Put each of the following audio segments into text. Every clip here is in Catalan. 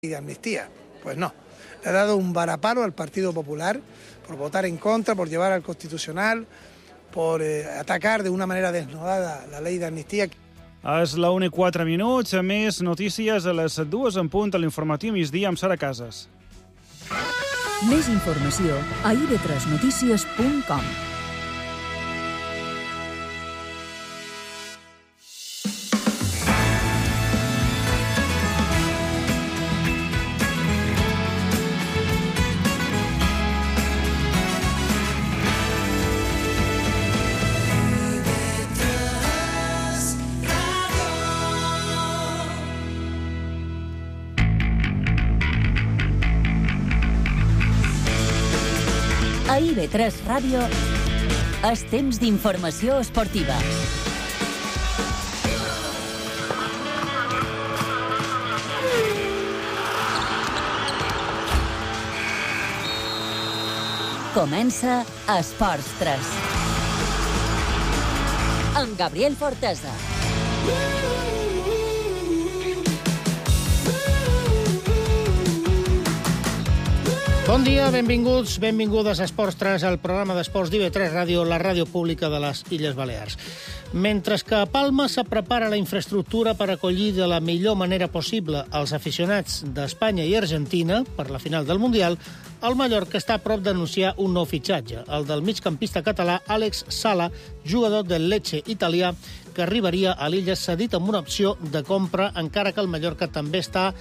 de amnistía. Pues no, le ha dado un varapalo al Partido Popular por votar en contra, por llevar al Constitucional, por atacar de una manera desnudada la ley de amnistía. És la 1:04, més notícies a les 2 en punt a l'informatiu migdia amb Sara Casas. Més informació a ib3notícies.com. A IB3 Ràdio és temps d'informació esportiva. Comença Esports 3. Amb Gabriel Fortesa. Bon dia, benvinguts, benvingudes a Esports 3, el programa d'esports d'IB3 Ràdio, la ràdio pública de les Illes Balears. Mentre que a Palma se prepara la infraestructura per acollir de la millor manera possible els aficionats d'Espanya i Argentina per la final del Mundial, el Mallorca està a prop d'anunciar un nou fitxatge, el del migcampista català Àlex Sala, jugador del Lecce italià, que arribaria a l'illa cedit amb una opció de compra, encara que el Mallorca també està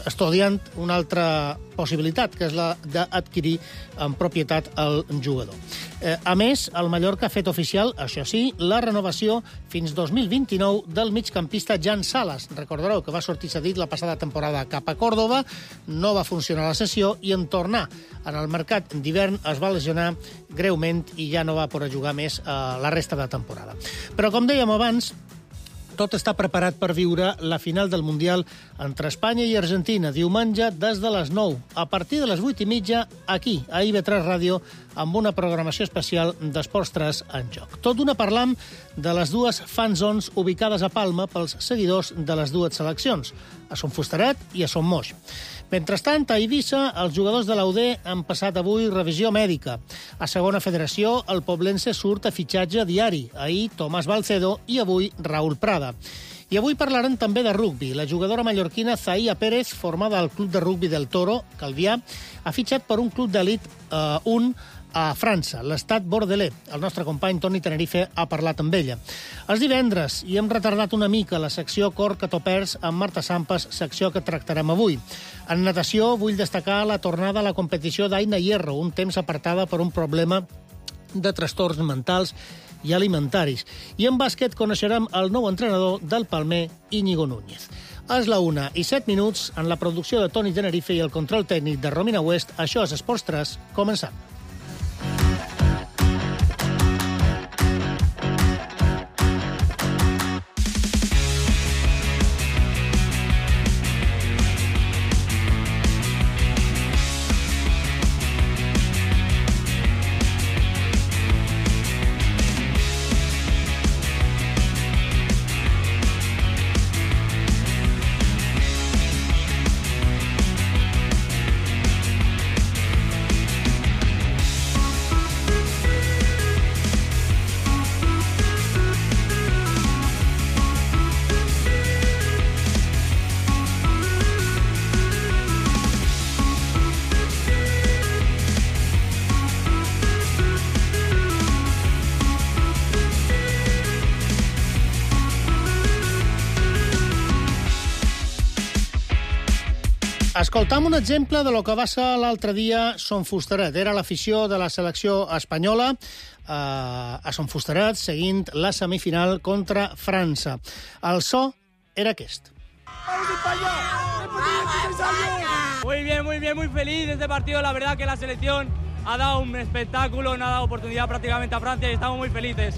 estudiant una altra possibilitat, que és la d'adquirir en propietat el jugador. A més, el Mallorca ha fet oficial, això sí, la renovació fins 2029 del migcampista Jan Salas. Recordareu que va sortir cedit la passada temporada cap a Còrdova, no va funcionar la sessió i en tornar en el mercat d'hivern es va lesionar greument i ja no va poder jugar més la resta de temporada. Però, com dèiem abans, tot està preparat per viure la final del Mundial entre Espanya i Argentina, diumenge des de les 9, a partir de les 8:30, aquí, a IB3 Ràdio, amb una programació especial d'Esports 3 en joc. Tot d'una parlam de les dues fan zones ubicades a Palma pels seguidors de les dues seleccions, a Son Fustaret i a Son Moix. Mentrestant, a Eivissa, els jugadors de l'UD han passat avui revisió mèdica. A segona federació, el poblense surt a fitxatge diari. Ahir, Tomàs Balcedo i avui, Raúl Prada. I avui parlarem també de rugbi. La jugadora mallorquina Zahia Pérez, formada al club de rugbi del Toro, Calvià, ha fitxat per un club d'elit 1 a França, l'estat Bordelais. El nostre company Toni Tenerife ha parlat amb ella. És divendres i hem retardat una mica la secció Cor que topers amb Marta Sampas, secció que tractarem avui. En natació vull destacar la tornada a la competició d'Aina Hierro, un temps apartada per un problema de trastorns mentals i alimentaris. I en bàsquet coneixerem el nou entrenador del Palmer, Íñigo Núñez. És la 1:07, en la producció de Toni Tenerife i el control tècnic de Romina West. Això és Esports 3, començant. Escoltam un exemple de lo que va ser l'altre dia Son Fustaret. Era l'afició de la selecció espanyola a Son Fustaret seguint la semifinal contra França. El so era aquest. Muy bien, muy feliz de este partido. La verdad que la selección ha dado un espectáculo, nos ha dado oportunidad prácticamente a Francia y estamos muy felices.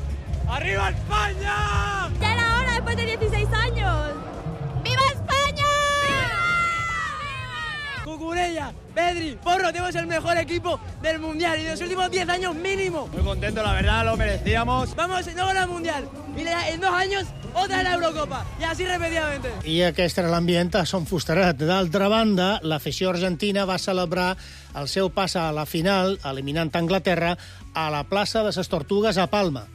¡Arriba España! Ya era hora después de 16 años. ¡Viva España! Cucurella, Pedri, Porro, tenemos el mejor equipo del Mundial y de los últimos 10 años mínimo. Muy contento, la verdad, lo merecíamos. Vamos, no ganar el Mundial. Y en 2 años otra la Eurocopa, y así repetidamente. I aquest era l'ambient a Son Fusteret. D'altra banda, l'afició argentina va celebrar el seu pas a la final, eliminant Anglaterra, a la plaça de les Tortugues a Palma.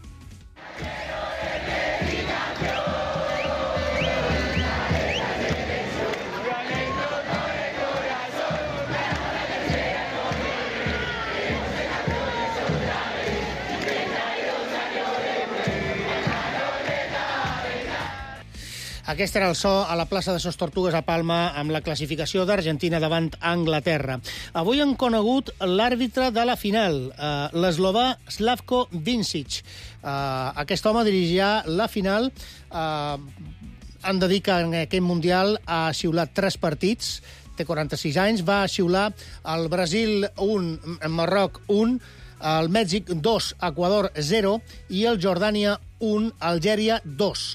Aquest era el so a la plaça de Ses Tortugues a Palma amb la classificació d'Argentina davant Anglaterra. Avui han conegut l'àrbitre de la final, l'eslovà Slavko Vincic. Aquest home dirigia la final. Han de dir que en aquest Mundial ha xiulat 3 partits, té 46 anys, va xiular el Brasil 1, el Marroc 1, el Mèxic 2, Equador 0 i el Jordània 1, Algèria 2.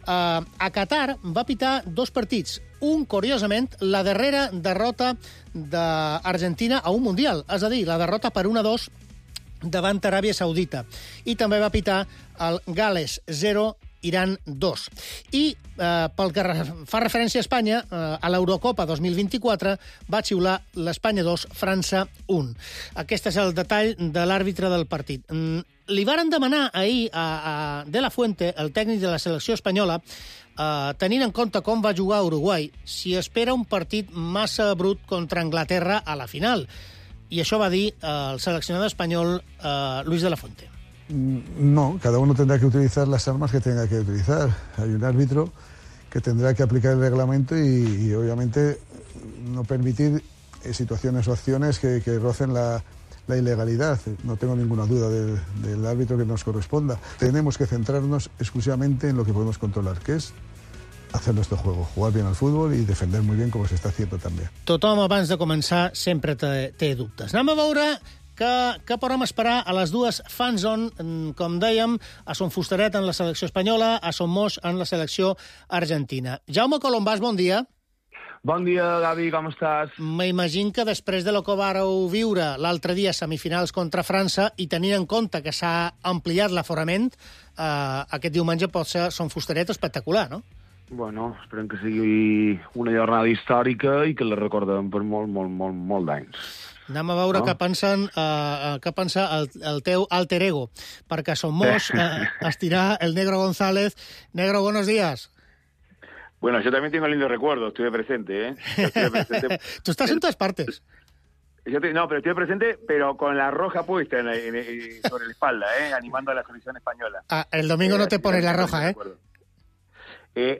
A Qatar va pitar 2 partits. Un, curiosament, la darrera derrota d'Argentina a un Mundial, és a dir, la derrota per 1-2 davant Aràbia Saudita. I també va pitar el Gales 0, Iran 2. I pel que fa referència a Espanya, a l'Eurocopa 2024 va xiular l'Espanya 2, França 1. Aquest és el detall de l'àrbitre del partit. Li varen demanar ahir a De La Fuente, el tècnic de la selecció espanyola, tenint en compte com va jugar Uruguai, si espera un partit massa brut contra Anglaterra a la final. I això va dir el seleccionador espanyol Luis de la Fuente. No, cada uno tendrá que utilizar las armas que tenga que utilizar. Hay un árbitro que tendrá que aplicar el reglamento y obviamente no permitir situaciones o acciones que rocen la ilegalidad. No tengo ninguna duda del árbitro que nos corresponda. Tenemos que centrarnos exclusivamente en lo que podemos controlar, que es hacer nuestro juego, jugar bien al fútbol y defender muy bien como se está haciendo també. Tothom abans de començar sempre té dubtes. Anem a veure què podem esperar a les dues fanzone, com dèiem, a Son Fusteret en la selecció espanyola, a Son Moix en la selecció argentina. Jaume Colombàs, bon dia. Bon dia, Gavi, com estàs? M'imagino que després de lo que vareu viure l'altre dia, semifinals contra França, i tenint en compte que s'ha ampliat l'aforament, aquest diumenge pot ser Son Fusteret espectacular, no? Bueno, esperem que sigui una jornada històrica i que la recordem per molt d'anys. Anem a veure què pensa el teu alter ego, perquè a Son Moix estirà el Negro González. Negro, buenos días. Bueno, yo también tengo lindos recuerdos, estuve presente, ¿eh? Tú estás en todas partes. No, pero estuve presente, pero con la roja puesta sobre la espalda, animando a la selección española. El domingo no te pones la roja, ¿eh?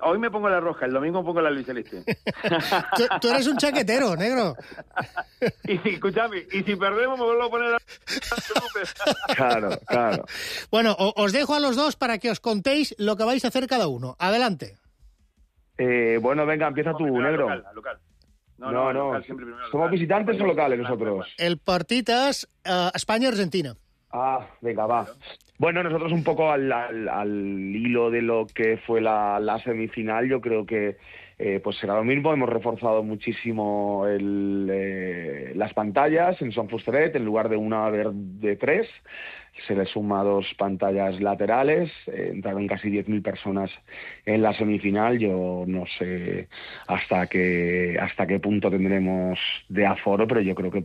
Hoy me pongo la roja, el domingo pongo la albiceleste. Tú eres un chaquetero, Negro. Y escúchame, y si perdemos me vuelvo a poner la... Claro. Bueno, os dejo a los dos para que os contéis lo que vais a hacer cada uno. Adelante. Bueno, venga, empieza tú, Negro. Local. No. Local, siempre primero ¿Somos local. visitantes o locales nosotros? El partit és Espanya-Argentina. Venga, va. Bueno, nosotros un poco al hilo de lo que fue la semifinal, yo creo que pues será lo mismo. Hemos reforzado muchísimo las pantallas en Son Fusteret, en lugar de una de 3. Se le suma 2 pantallas laterales, entraron casi 10.000 personas en la semifinal. Yo no sé hasta qué punto tendremos de aforo, pero yo creo que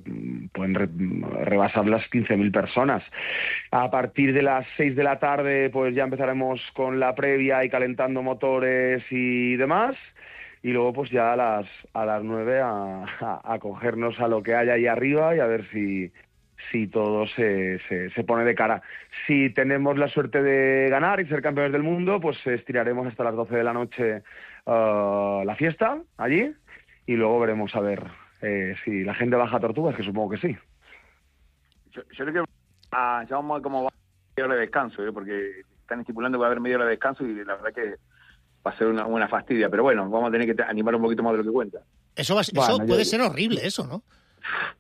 pueden rebasar las 15.000 personas. A partir de las 6 de la tarde pues ya empezaremos con la previa y calentando motores y demás. Y luego pues ya a las 9 a cogernos a lo que hay ahí arriba y a ver si todo se pone de cara. Si tenemos la suerte de ganar y ser campeones del mundo, pues estiraremos hasta las 12 de la noche la fiesta allí y luego veremos a ver si la gente baja a Tortugas, que supongo que sí. Yo le quiero a Jaume cómo va media hora de descanso, porque están estipulando que va a haber media hora de descanso y la verdad que va a ser una fastidia, pero bueno, vamos a tener que animar un poquito más de lo que cuenta. Eso puede ser horrible, eso, ¿no?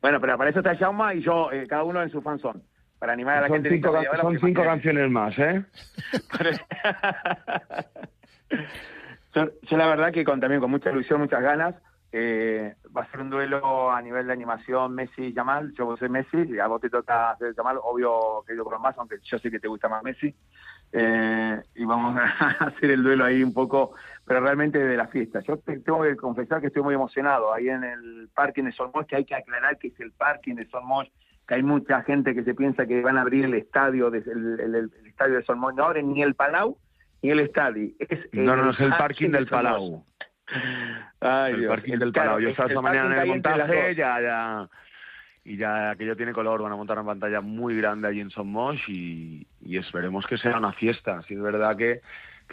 Bueno, pero para eso está Jaume y yo, cada uno en su fanzone, para animar a la gente. Son 5 canciones más, ¿eh? Yo la verdad que también con mucha ilusión, muchas ganas, va a ser un duelo a nivel de animación Messi-Yamal. Yo soy Messi, y a vos te toca hacer Yamal, obvio que yo con más, aunque yo sé que te gusta más Messi. y vamos a hacer el duelo ahí un poco, pero realmente de la fiesta. Yo tengo que confesar que estoy muy emocionado ahí en el parking de Son Moix, que hay que aclarar que es el parking de Son Moix, que hay mucha gente que se piensa que van a abrir el estadio, el estadio de Son Moix. No abren ni el Palau ni el estadio. No, es el parking del Palau. Ay, el Dios. parking del Palau. Yo estaba esta mañana en el montaje, ya aquello tiene color. Van a montar una pantalla muy grande allí en Son Moix y esperemos que sea una fiesta. Si es verdad que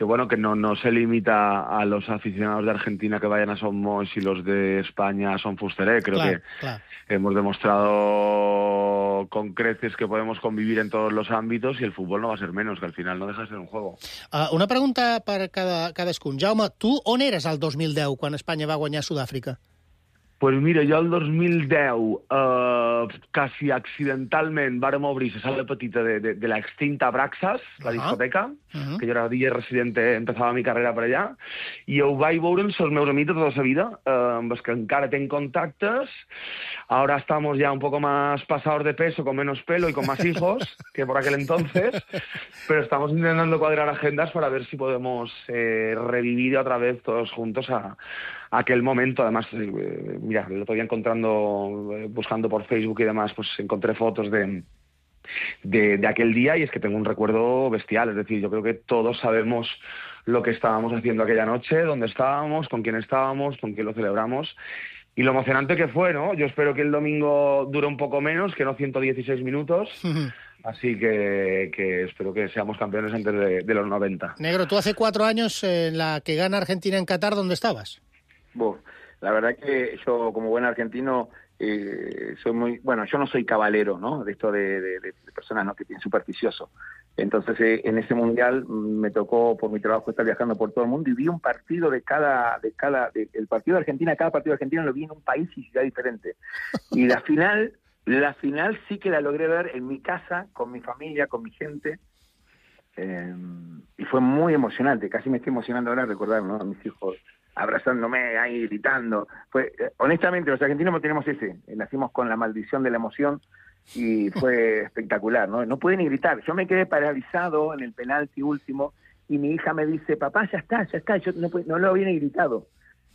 bueno, que no se limita a los aficionados de Argentina que vayan a Son Moix y los de España a Son Fusteré. Creo que hemos demostrado con creces que podemos convivir en todos los ámbitos y el fútbol no va a ser menos, que al final no deja de ser un juego. Una pregunta per cadascun. Jaume, tu on eres al 2010 quan Espanya va guanyar Sud-àfrica? Pues mira, jo el 2010, quasi accidentalment, vàrem obrir la sala petita de la extinta Braxas, la discoteca, que jo era DJ residente, empezava mi carrera per allà, i ho vaig veure amb els meus amics de tota la vida, amb els que encara tenc contactes. Ahora estamos ya un poco más pasados de peso, con menos pelo y con más hijos que por aquel entonces, pero estamos intentando cuadrar agendas para ver si podemos revivir otra vez todos juntos a aquel momento. Además, mira, el otro día buscando por Facebook y demás, pues encontré fotos de aquel día y es que tengo un recuerdo bestial. Es decir, yo creo que todos sabemos lo que estábamos haciendo aquella noche, dónde estábamos, con quién lo celebramos y lo emocionante que fue, ¿no? Yo espero que el domingo dure un poco menos, que no 116 minutos. Así que espero que seamos campeones antes de los 90. Negro, tú hace 4 años en la que gana Argentina en Qatar, ¿dónde estabas? La verdad que yo, como buen argentino, soy muy... Bueno, yo no soy cabalero, ¿no? De esto de personas, ¿no?, que tienen supersticioso. Entonces, en ese mundial me tocó, por mi trabajo, estar viajando por todo el mundo y vi un partido el partido de Argentina, cada partido de Argentina lo vi en un país y ciudad diferente. Y la final sí que la logré ver en mi casa, con mi familia, con mi gente. Y fue muy emocionante. Casi me estoy emocionando ahora recordar, ¿no?, a mis hijos abrazándome ahí, gritando. Honestamente, los argentinos tenemos nacimos con la maldición de la emoción y fue espectacular, ¿no? No pude ni gritar. Yo me quedé paralizado en el penalti último y mi hija me dice, papá, ya está. Yo no lo había ni gritado.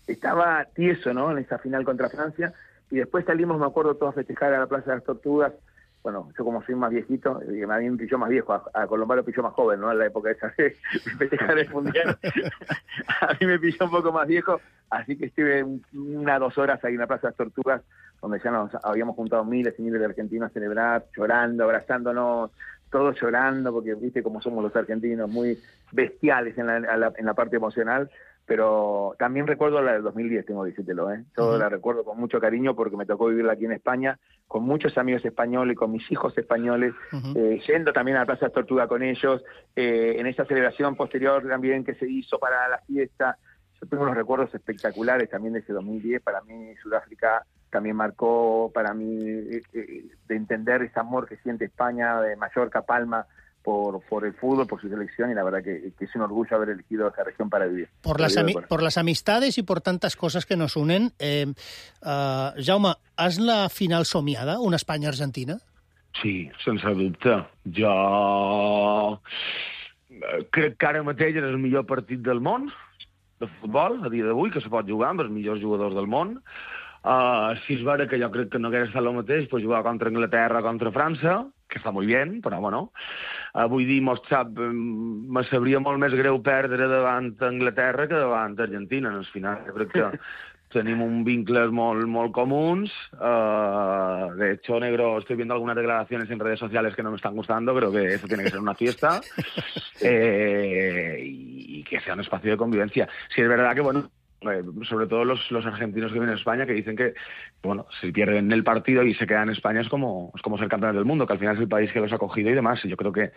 Estaba tieso, ¿no?, en esa final contra Francia. Y después salimos, me acuerdo, todos a festejar a la Plaza de las Tortugas. Bueno, yo como soy más viejito, a mí me pilló más viejo, a Colombano pilló más joven, ¿no?, en la época esa de festejar el Mundial. A mí me pilló un poco más viejo, así que estuve 1 o 2 horas ahí en la Plaza de las Tortugas, donde ya nos habíamos juntado miles y miles de argentinos a celebrar, llorando, abrazándonos, todos llorando, porque viste cómo somos los argentinos, muy bestiales en la parte emocional. Pero también recuerdo la del 2010, tengo que decírtelo, Yo la recuerdo con mucho cariño porque me tocó vivirla aquí en España, con muchos amigos españoles, con mis hijos españoles, yendo también a la Plaza de Tortuga con ellos, en esa celebración posterior también que se hizo para la fiesta. Yo tengo unos recuerdos espectaculares también de ese 2010. Para mí Sudáfrica también marcó, para mí, de entender ese amor que siente España, de Mallorca, Palma, por el fútbol, por su selección, y la verdad que es un orgullo haber elegido esa región para vivir. Por las amistades y por tantas cosas que nos unen, Jaume, ¿has la final somiada, una Espanya-Argentina? Sí, sense dubte. Jo crec que ara mateix és el millor partit del món de futbol, a dia d'avui, que se pot jugar amb els millors jugadors del món. Si és vera que jo crec que no hauria estat el mateix, pues jugar contra Anglaterra, contra França, que està molt bé, però bueno, vull dir, me sabria molt més greu perdre davant Anglaterra que davant Argentina. En el final, jo crec que tenim un vincles molt comuns. De hecho, Negro, estoy viendo algunas declaraciones en redes sociales que no me están gustando, creo que eso tiene que ser una fiesta y que sea un espacio de convivencia. Sí, es verdad que, bueno, sobre todo los argentinos que vienen a España, que dicen que, bueno, si pierden el partido y se quedan en España es como ser campeones del mundo, que al final es el país que los ha acogido y demás. Y yo creo que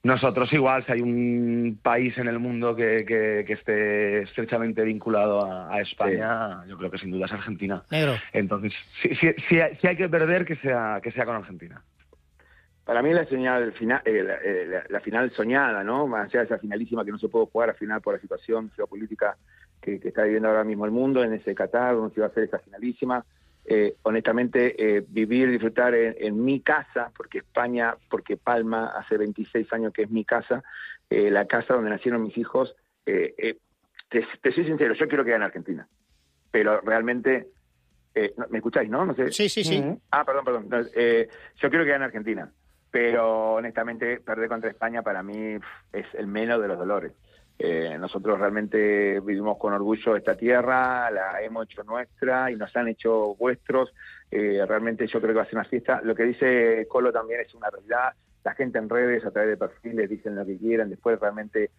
nosotros igual, si hay un país en el mundo que esté estrechamente vinculado a España, yo creo que sin duda es Argentina. Negro. Entonces, si hay que perder, que sea con Argentina. Para mí la señal final, la final soñada, ¿no? Más allá de esa finalísima que no se pudo jugar al final por la situación geopolítica que está viviendo ahora mismo el mundo, en ese Qatar, donde se iba a hacer esa finalísima. honestamente, vivir, disfrutar en mi casa, porque Palma hace 26 años que es mi casa, la casa donde nacieron mis hijos. Te soy sincero, yo quiero que gane Argentina, pero realmente, ¿me escucháis, no? No sé. Sí. Perdón. Yo quiero que gane Argentina, pero honestamente perder contra España para mí es el menos de los dolores. Nosotros realmente vivimos con orgullo esta tierra, la hemos hecho nuestra y nos han hecho vuestros. Realmente yo creo que va a ser una fiesta. Lo que dice Colo también es una realidad. La gente en redes, a través de perfiles, dicen lo que quieran. Después realmente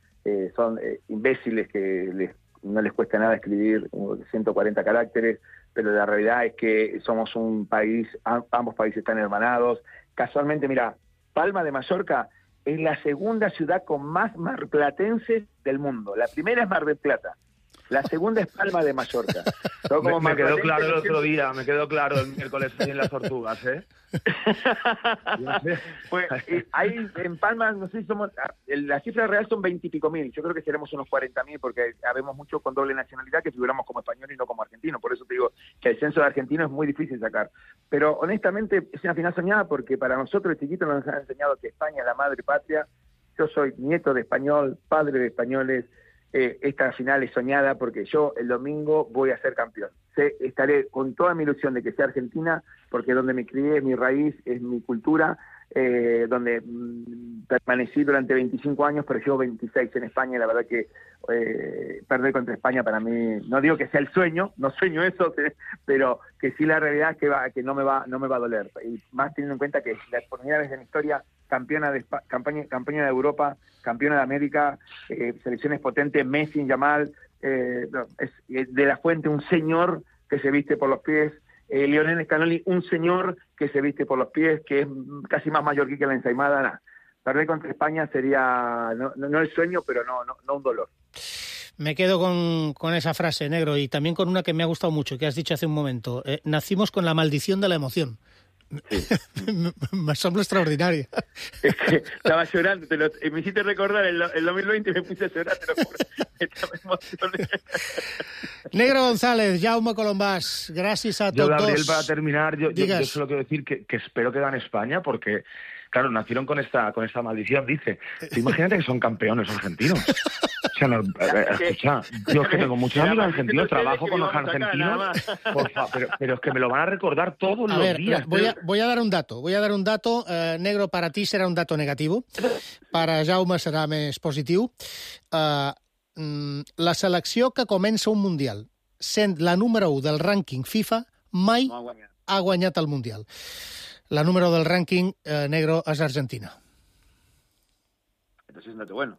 son imbéciles que no les cuesta nada escribir 140 caracteres, pero la realidad es que somos un país, ambos países están hermanados. Casualmente, mira, Palma de Mallorca es la segunda ciudad con más marplatenses del mundo. La primera es Mar del Plata. La segunda es Palma de Mallorca. Me quedó claro el otro día, me quedó claro el miércoles en las Tortugas, ¿eh? Pues ahí en Palma, no sé si somos, la cifra real son 20 y pico mil. Yo creo que seremos unos 40.000 porque habemos muchos con doble nacionalidad que figuramos como españoles y no como argentinos. Por eso te digo que el censo de argentinos es muy difícil sacar. Pero honestamente es una final soñada porque para nosotros el chiquito nos han enseñado que España es la madre patria. Yo soy nieto de español, padre de españoles. Esta final es soñada porque yo el domingo voy a ser campeón. Estaré con toda mi ilusión de que sea Argentina, porque donde me crié es mi raíz, es mi cultura, donde permanecí durante 25 años, pero llevo 26 en España, y la verdad que perder contra España para mí, no digo que sea el sueño, no sueño eso, pero que sí la realidad es que no me va a doler. Y más teniendo en cuenta que es la primera vez en la historia campeona de Europa, campeona de América, selecciones potentes, Messi, Yamal, es de la Fuente, un señor que se viste por los pies, Lionel Scaloni, un señor que se viste por los pies, que es casi más mallorquí que la ensaimada. Nah. Perder contra España sería, no el sueño, pero no un dolor. Me quedo con esa frase, Negro, y también con una que me ha gustado mucho, que has dicho hace un momento. Nacimos con la maldición de la emoción. Sí. Me asombra extraordinaria. Es que estaba llorando, me hiciste recordar el 2020 y me puse a llorar, te lo juro. Me emocioné. Negro González, Jaume Colombàs, gràcies a tots dos. Gabriel, para terminar, yo solo quiero decir que espero que gane España, porque claro, nacieron con esta maldición, dice. Imagínate que son campeones argentinos. O sea, escucha, yo es que tengo muchos amigos argentinos, trabajo con los argentinos, pero es que me lo van a recordar todos los días. Voy a dar un dato. Negro, para ti serà un dato negatiu, para Jaume serà més positiu. La selecció que comença un Mundial, sent la número 1 del rànquing FIFA, mai ha guanyat el Mundial. La número del ranking, Negro, es Argentina. Entonces es un dato bueno.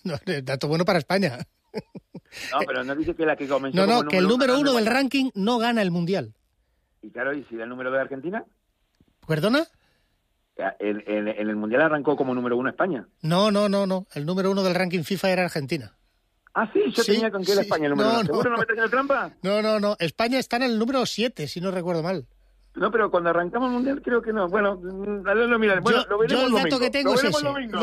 No, dato bueno para España. No, pero no dice que la que comenzó No, que el número 1 del ranking no gana el Mundial. Y claro, ¿y si el número de Argentina? ¿Perdona? En el Mundial arrancó como número 1 España. No. El número 1 del ranking FIFA era Argentina. Ah, sí, yo tenía con que era España el número 1. ¿Seguro no me estás haciendo trampa? No. España está en el número 7, si no recuerdo mal. No, pero cuando arrancamos el Mundial creo que no. Bueno, lo miraré. Bueno, lo veremos el dato que tengo es ese. Domingo.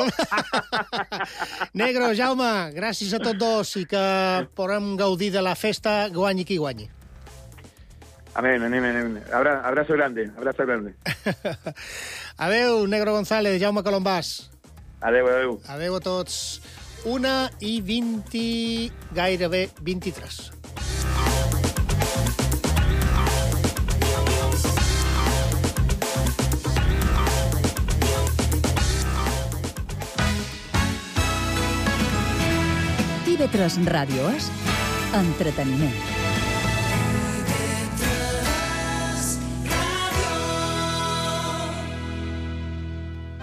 Negro, Jaume, gràcies a tots dos i que podem gaudir de la festa, guanyi qui guanyi. Amén. Abrazo grande. Adeu, Negro González, Jaume Colombàs. Adeu. Adeu a tots. 1:20, gairebé 23. TV3 Ràdio és entreteniment.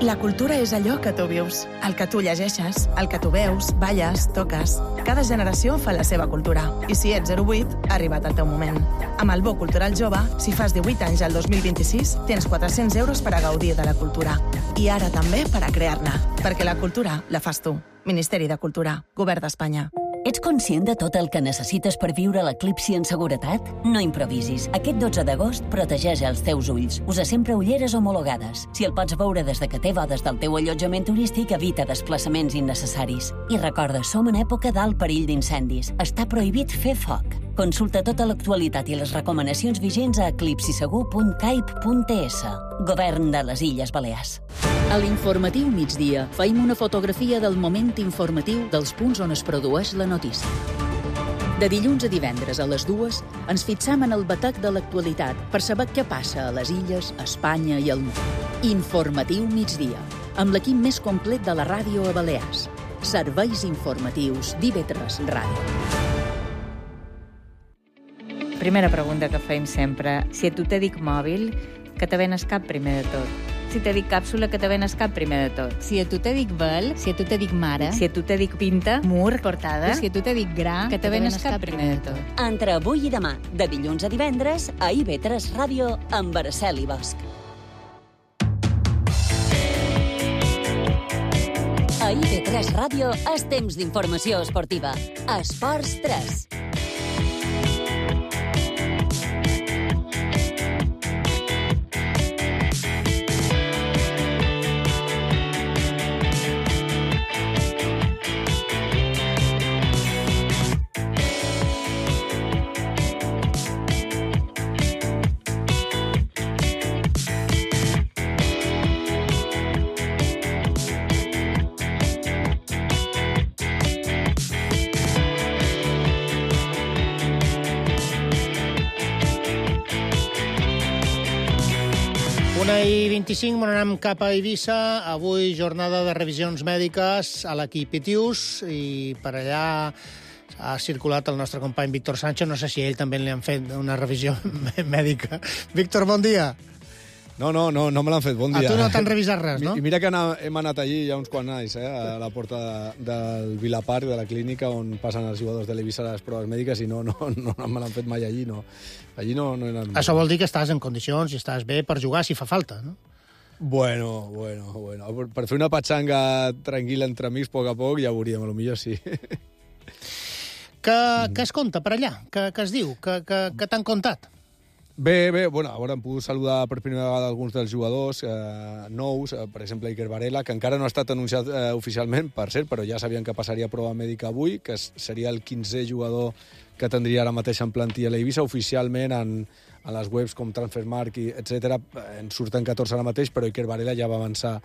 La cultura és allò que tu vius, el que tu llegeixes, el que tu veus, balles, toques. Cada generació fa la seva cultura. I si ets 08, ha arribat el teu moment. Amb el Bo Cultural Jove, si fas 18 anys al 2026, tens 400 euros per a gaudir de la cultura. I ara també per a crear-ne, perquè la cultura la fas tu. Ministeri de Cultura, Govern d'Espanya. Ets conscient de tot el que necessites per viure l'eclipsi en seguretat? No improvisis. Aquest 12 d'agost protegeix els teus ulls. Usa sempre ulleres homologades. Si el pots veure des de que té bodes del teu allotjament turístic, evita desplaçaments innecessaris. I recorda, som en època d'alt perill d'incendis. Està prohibit fer foc. Consulta tota l'actualitat i les recomanacions vigents a eclipsisegur.caip.ts. Govern de les Illes Balears. A l'informatiu migdia feim una fotografia del moment informatiu dels punts on es produeix la notícia. De dilluns a divendres a les 2 ens fixam en el batec de l'actualitat per saber què passa a les illes, a Espanya i al món. Informatiu migdia, amb l'equip més complet de la ràdio a Balears. Serveis informatius d'IV3 Ràdio. Primera pregunta que fem sempre. Si a tu te dic mòbil, que te venes cap primer de tot? Si te dic càpsula, que te venes cap primer de tot? Si a tu te dic vel, si a tu te dic mare, si a tu te dic pinta, mur, portada, si a tu te dic gra, que te venes cap primer de tot. Entre avui i demà, de dilluns a divendres, a IV3 Ràdio, amb Araceli Bosch. A IV3 Ràdio és temps d'informació esportiva. Esports 3. I 25, anem cap a Eivissa. Avui jornada de revisions mèdiques a l'equip Itius i per allà ha circulat el nostre company Víctor Sánchez. No sé si a ell també li han fet una revisió mèdica. Víctor, bon dia. No me l'han fet, bon dia. A tu no t'han revisat res, no? I mira que hem anat allí ja uns quants anys, a la porta del Vilaparc, de la clínica, on passen els jugadors de l'Eivissa a les proves mèdiques, i no me l'han fet mai allí, no. Allí no he anat. Això vol dir que estàs en condicions i estàs bé per jugar si fa falta, no? Bueno. Per fer una patxanga tranquil·la entre amics, a poc, ja veuríem, potser sí. Què es conta per allà? Què es diu? Què t'han contat? Bé, bueno, ara hem pogut saludar per primera vegada alguns dels jugadors nous, per exemple Iker Varela, que encara no ha estat anunciat oficialment, per cert, però ja sabien que passaria prova mèdica avui, que seria el 15è jugador que tindria ara mateix en plantilla l'Eivissa. Oficialment en les webs com Transfermarkt, etc. en surten 14 ara mateix, però Iker Varela ja va avançar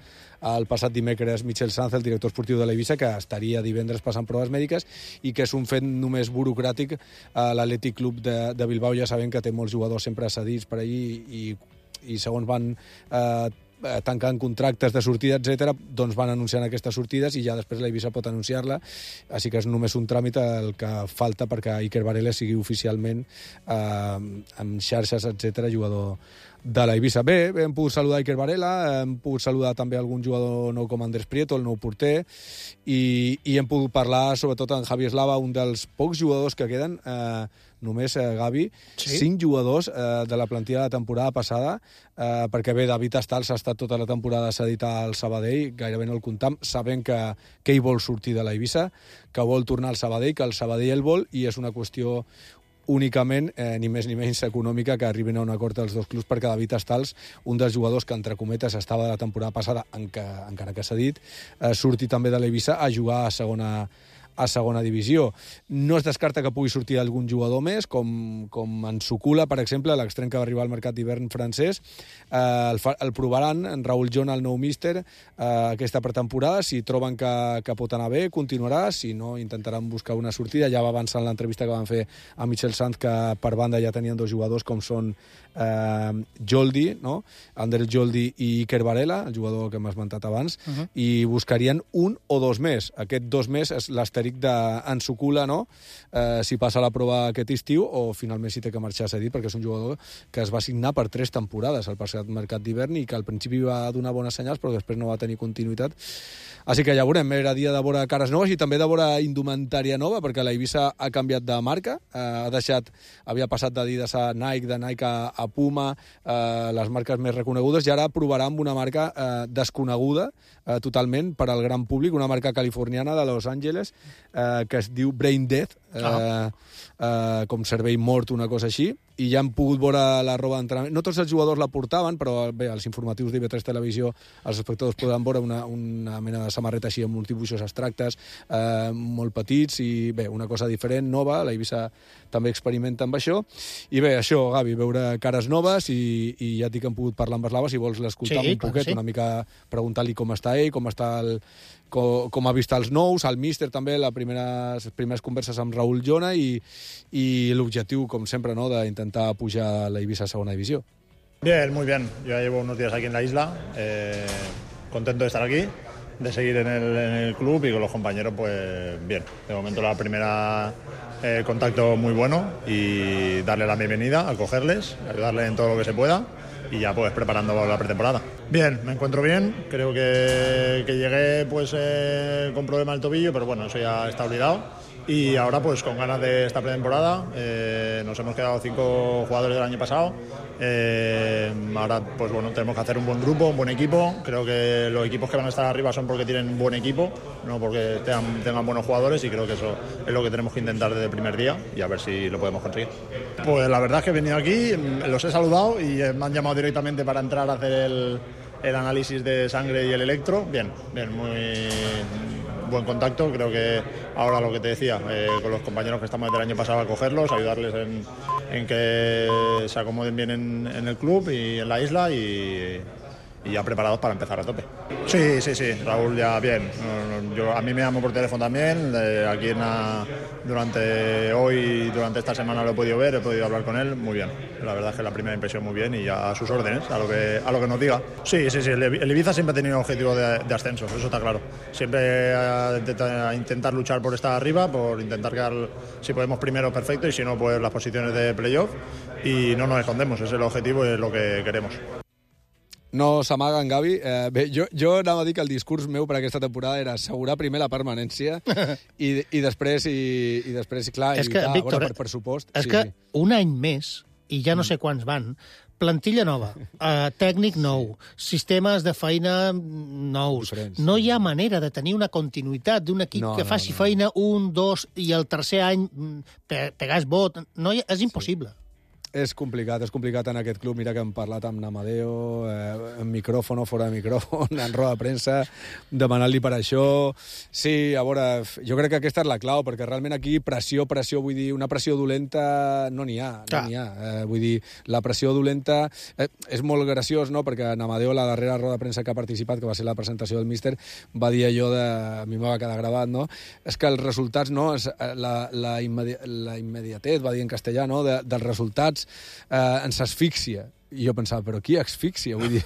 el passat dimecres Michel Sanz, el director esportiu de l'Eivissa, que estaria divendres passant proves mèdiques i que és un fet només burocràtic. L'Atlètic Club de Bilbao ja sabem que té molts jugadors sempre cedits per allí i segons van tancant contractes de sortida, etc., doncs van anunciant aquestes sortides i ja després l'Eivissa pot anunciar-la. Així que és només un tràmit el que falta perquè Iker Varela sigui oficialment amb xarxes, etc., jugador de l'Eivissa. Bé, hem pogut saludar Iker Varela, hem pogut saludar també algun jugador nou com Andrés Prieto, el nou porter, i hem pogut parlar sobretot amb Javi Eslava, un dels pocs jugadors que queden, només, Gavi, 5 jugadors de la plantilla de la temporada passada, perquè bé, David Astals ha estat tota la temporada cedit al Sabadell, gairebé no el comptam, sabent que ell vol sortir de l'Eivissa, que vol tornar al Sabadell, que el Sabadell el vol, i és una qüestió únicament, ni més ni menys econòmica, que arribin a un acord els dos clubs, perquè David Astals, un dels jugadors que entre cometes estava de la temporada passada, encara que s'ha dit, surti també de l'Eivissa a jugar a segona divisió. No es descarta que pugui sortir algun jugador més, com en Sukula, per exemple, l'extrem que va arribar al mercat d'hivern francès. El provaran, en Raúl Jon, el nou míster, aquesta pretemporada. Si troben que pot anar bé, continuarà. Si no, intentaran buscar una sortida. Ja va avançar en l'entrevista que van fer a Michel Sanz, que per banda ja tenien 2 jugadors, com són Joldi, no? Ander Joldi i Iker Varela, el jugador que hem esmentat abans, i buscarien 1 o 2 més. Aquest 2 més és l'astèric d'en Sukula, no? Si passa la prova aquest estiu o finalment si té que marxar cedit, perquè és un jugador que es va signar per 3 temporades al passat mercat d'hivern i que al principi va donar bones senyals però després no va tenir continuïtat. Així que ja veurem, era dia de veure cares noves i també de veure indumentària nova, perquè l'Eivissa ha canviat de marca, havia passat d'Adidas a Nike, de Nike a Puma, les marques més reconegudes, i ara provarà amb una marca desconeguda totalment per al gran públic, una marca californiana de Los Angeles, que es diu Brain Death, com cervell mort, una cosa així, i ja han pogut veure la roba d'entrenament. No tots els jugadors la portaven, però bé, als informatius d'IV3 Televisió els espectadors poden veure una mena de samarreta així amb uns dibuixos abstractes molt petits i bé, una cosa diferent, nova. La Eivissa també experimenta amb això. I bé, això, Gavi, veure cares noves i ja et dic que hem pogut parlar amb Eslava, si vols l'escoltar un poquet, una mica preguntar-li com està ell, com ha vist els nous, el míster també, les primeres converses amb Raúl Llona i l'objectiu, com sempre, ¿no?, d'intentar pujar la Eivissa a segona divisió. Bien, muy bien. Yo ya llevo unos días aquí en la isla, contento de estar aquí, de seguir en el club y con los compañeros, pues bien. De momento la primera contacto muy bueno y darle la bienvenida, acogerles, ayudarles en todo lo que se pueda y ya pues preparando la pretemporada. Bien, me encuentro bien, creo que llegué pues con problema del tobillo, pero bueno, eso ya está olvidado. Y ahora pues con ganas de esta pretemporada, nos hemos quedado 5 jugadores del año pasado, ahora pues bueno, tenemos que hacer un buen grupo, un buen equipo. Creo que los equipos que van a estar arriba son porque tienen buen equipo, no porque tengan buenos jugadores, y creo que eso es lo que tenemos que intentar desde el primer día y a ver si lo podemos conseguir. Pues la verdad es que he venido aquí, los he saludado y me han llamado directamente para entrar a hacer el análisis de sangre y el electro. Bien, muy buen contacto. Creo que ahora lo que te decía, con los compañeros que estamos desde el año pasado, a cogerlos, ayudarles en que se acomoden bien en el club y en la isla y ya preparados para empezar a tope. Sí, Raúl ya bien. A mí me llamó por teléfono también, aquí durante esta semana lo he podido ver, he podido hablar con él, muy bien. La verdad es que la primera impresión muy bien y ya a sus órdenes, a lo que nos diga. Sí, el Ibiza siempre ha tenido objetivo de ascenso, eso está claro. Siempre a intentar luchar por estar arriba, por intentar quedar, si podemos primero, perfecto, y si no, pues las posiciones de playoff, y no nos escondemos, ese es el objetivo y es lo que queremos. No s'amaguen, Gavi. Bé, jo anava a dir que el discurs meu per aquesta temporada era assegurar primer la permanència i després, clar, és que, evitar, Víctor, per pressupost. És que un any més, i ja no sé quants van, plantilla nova, tècnic nou, sistemes de feina nous. No hi ha manera de tenir una continuïtat d'un equip que faci feina 1, 2 i el tercer any pegar es vot. És impossible. És complicat en aquest club. Mira que hem parlat amb Namadeo, en micròfon o fora de micròfon, en roda de premsa, demanant-li per això. Sí, a veure, jo crec que aquesta és la clau, perquè realment aquí pressió, vull dir, una pressió dolenta no n'hi ha. Vull dir, la pressió dolenta és molt graciós, no?, perquè Namadeo, la darrera roda de premsa que ha participat, que va ser la presentació del míster, va dir allò a mi me va quedar gravat, no?, és que els resultats, no?, la immediatez, va dir en castellà, no?, dels resultats ens asfixia. I jo pensava, però qui asfixia? Vull dir,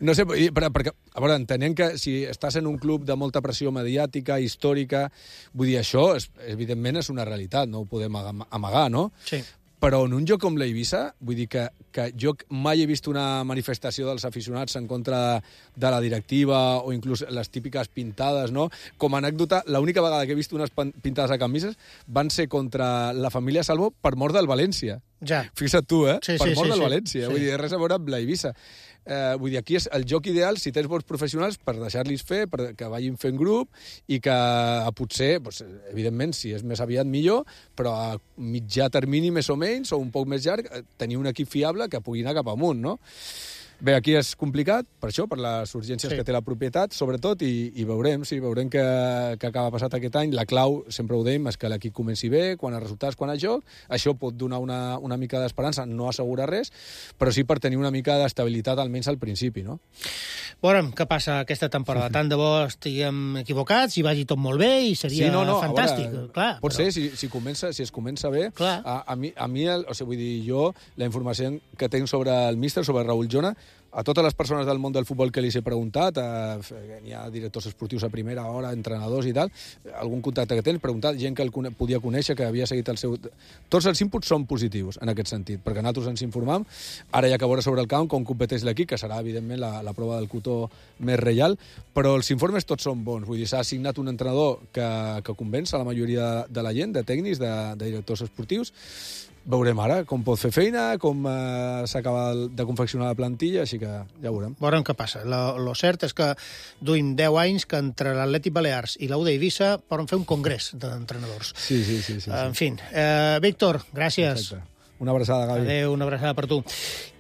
no sé, perquè, a veure, entenent que si estàs en un club de molta pressió mediàtica, històrica, vull dir, això, evidentment, és una realitat, no ho podem amagar, no? Sí. Però en un joc com l'Eivissa, vull dir que jo mai he vist una manifestació dels aficionats en contra de la directiva o inclús les típiques pintades, no? Com a anècdota, l'única vegada que he vist unes pintades a camises van ser contra la família Salvo per mort del València. Ja. Fixa't tu, Sí, per mort del sí. València. Vull dir, res a veure amb l'Eivissa. Vull dir, aquí és el joc ideal, si tens bons professionals, per deixar-los fer, que vagin fent grup i que potser, doncs, evidentment, si és més aviat millor, però a mitjà termini més o menys, o un poc més llarg, tenir un equip fiable que pugui anar cap amunt, no? Bé, aquí és complicat, per això, per les urgències que té la propietat, sobretot, i veurem què acaba passat aquest any. La clau, sempre ho dèiem, és que l'equip comenci bé, quan a resultats, quan a joc. Això pot donar una mica d'esperança, no assegura res, però sí per tenir una mica d'estabilitat, almenys al principi, no? Veurem què passa aquesta temporada. Tant de bo estiguem equivocats i vagi tot molt bé i seria fantàstic. Veure, clar, pot ser, si es comença bé. A mi, vull dir, jo, la informació que tinc sobre el míster, sobre Raúl Llona, a totes les persones del món del futbol que li he preguntat, hi ha directors esportius a primera hora, entrenadors i tal, algun contacte que tens, preguntat, gent que el podia conèixer, que havia seguit el seu... Tots els inputs són positius, en aquest sentit, perquè nosaltres ens informam. Ara hi ha que veure sobre el camp com competeix l'equip, que serà, evidentment, la prova del cotó més reial, però els informes tots són bons. Vull dir, s'ha assignat un entrenador que convenç a la majoria de la gent, de tècnics, de directors esportius, veurem ara com pot fer feina, com s'acaba de confeccionar la plantilla, així que ja veurem. Veurem què passa. Lo cert és que duim 10 anys que entre l'Atlètic Balears i la UD Eivissa poden fer un congrés d'entrenadors. Sí. En fi. Víctor, gràcies. Exacte. Una abraçada, Gavi. Adéu, una abraçada per tu.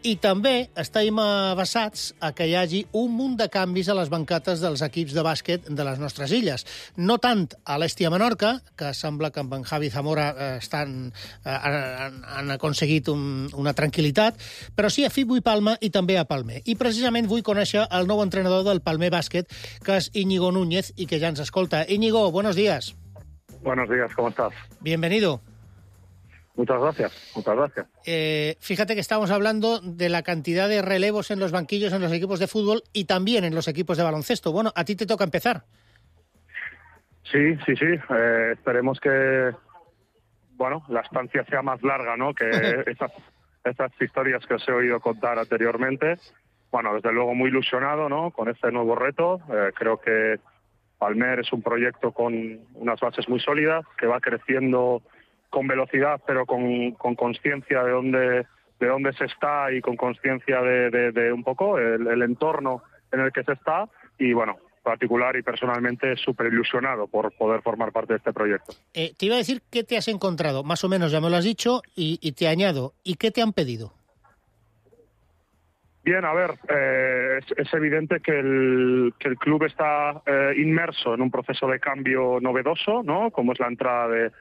I també estem avasats a que hi hagi un munt de canvis a les bancates dels equips de bàsquet de les nostres illes. No tant a l'Estia Menorca, que sembla que amb en Javi Zamora han aconseguit una tranquil·litat, però sí a Fibui Palma i també a Palmer. I precisament vull conèixer el nou entrenador del Palmer Bàsquet, que és Íñigo Núñez, i que ja ens escolta. Íñigo, buenos días. Buenos días, ¿cómo estás? Bienvenido. Muchas gracias. Fíjate que estamos hablando de la cantidad de relevos en los banquillos en los equipos de fútbol y también en los equipos de baloncesto. Bueno, a ti te toca empezar. Sí. Esperemos que la estancia sea más larga, ¿no? Que esas historias que os he oído contar anteriormente. Bueno, desde luego muy ilusionado, ¿no? Con este nuevo reto. Creo que Palmer es un proyecto con unas bases muy sólidas, que va creciendo con velocidad, pero con conciencia de dónde se está y con conciencia de un poco el entorno en el que se está. Y bueno, particular y personalmente súper ilusionado por poder formar parte de este proyecto. Te iba a decir qué te has encontrado, más o menos ya me lo has dicho, y te añado, ¿y qué te han pedido? Bien, a ver, es evidente que el club está inmerso en un proceso de cambio novedoso, ¿no? Como es la entrada de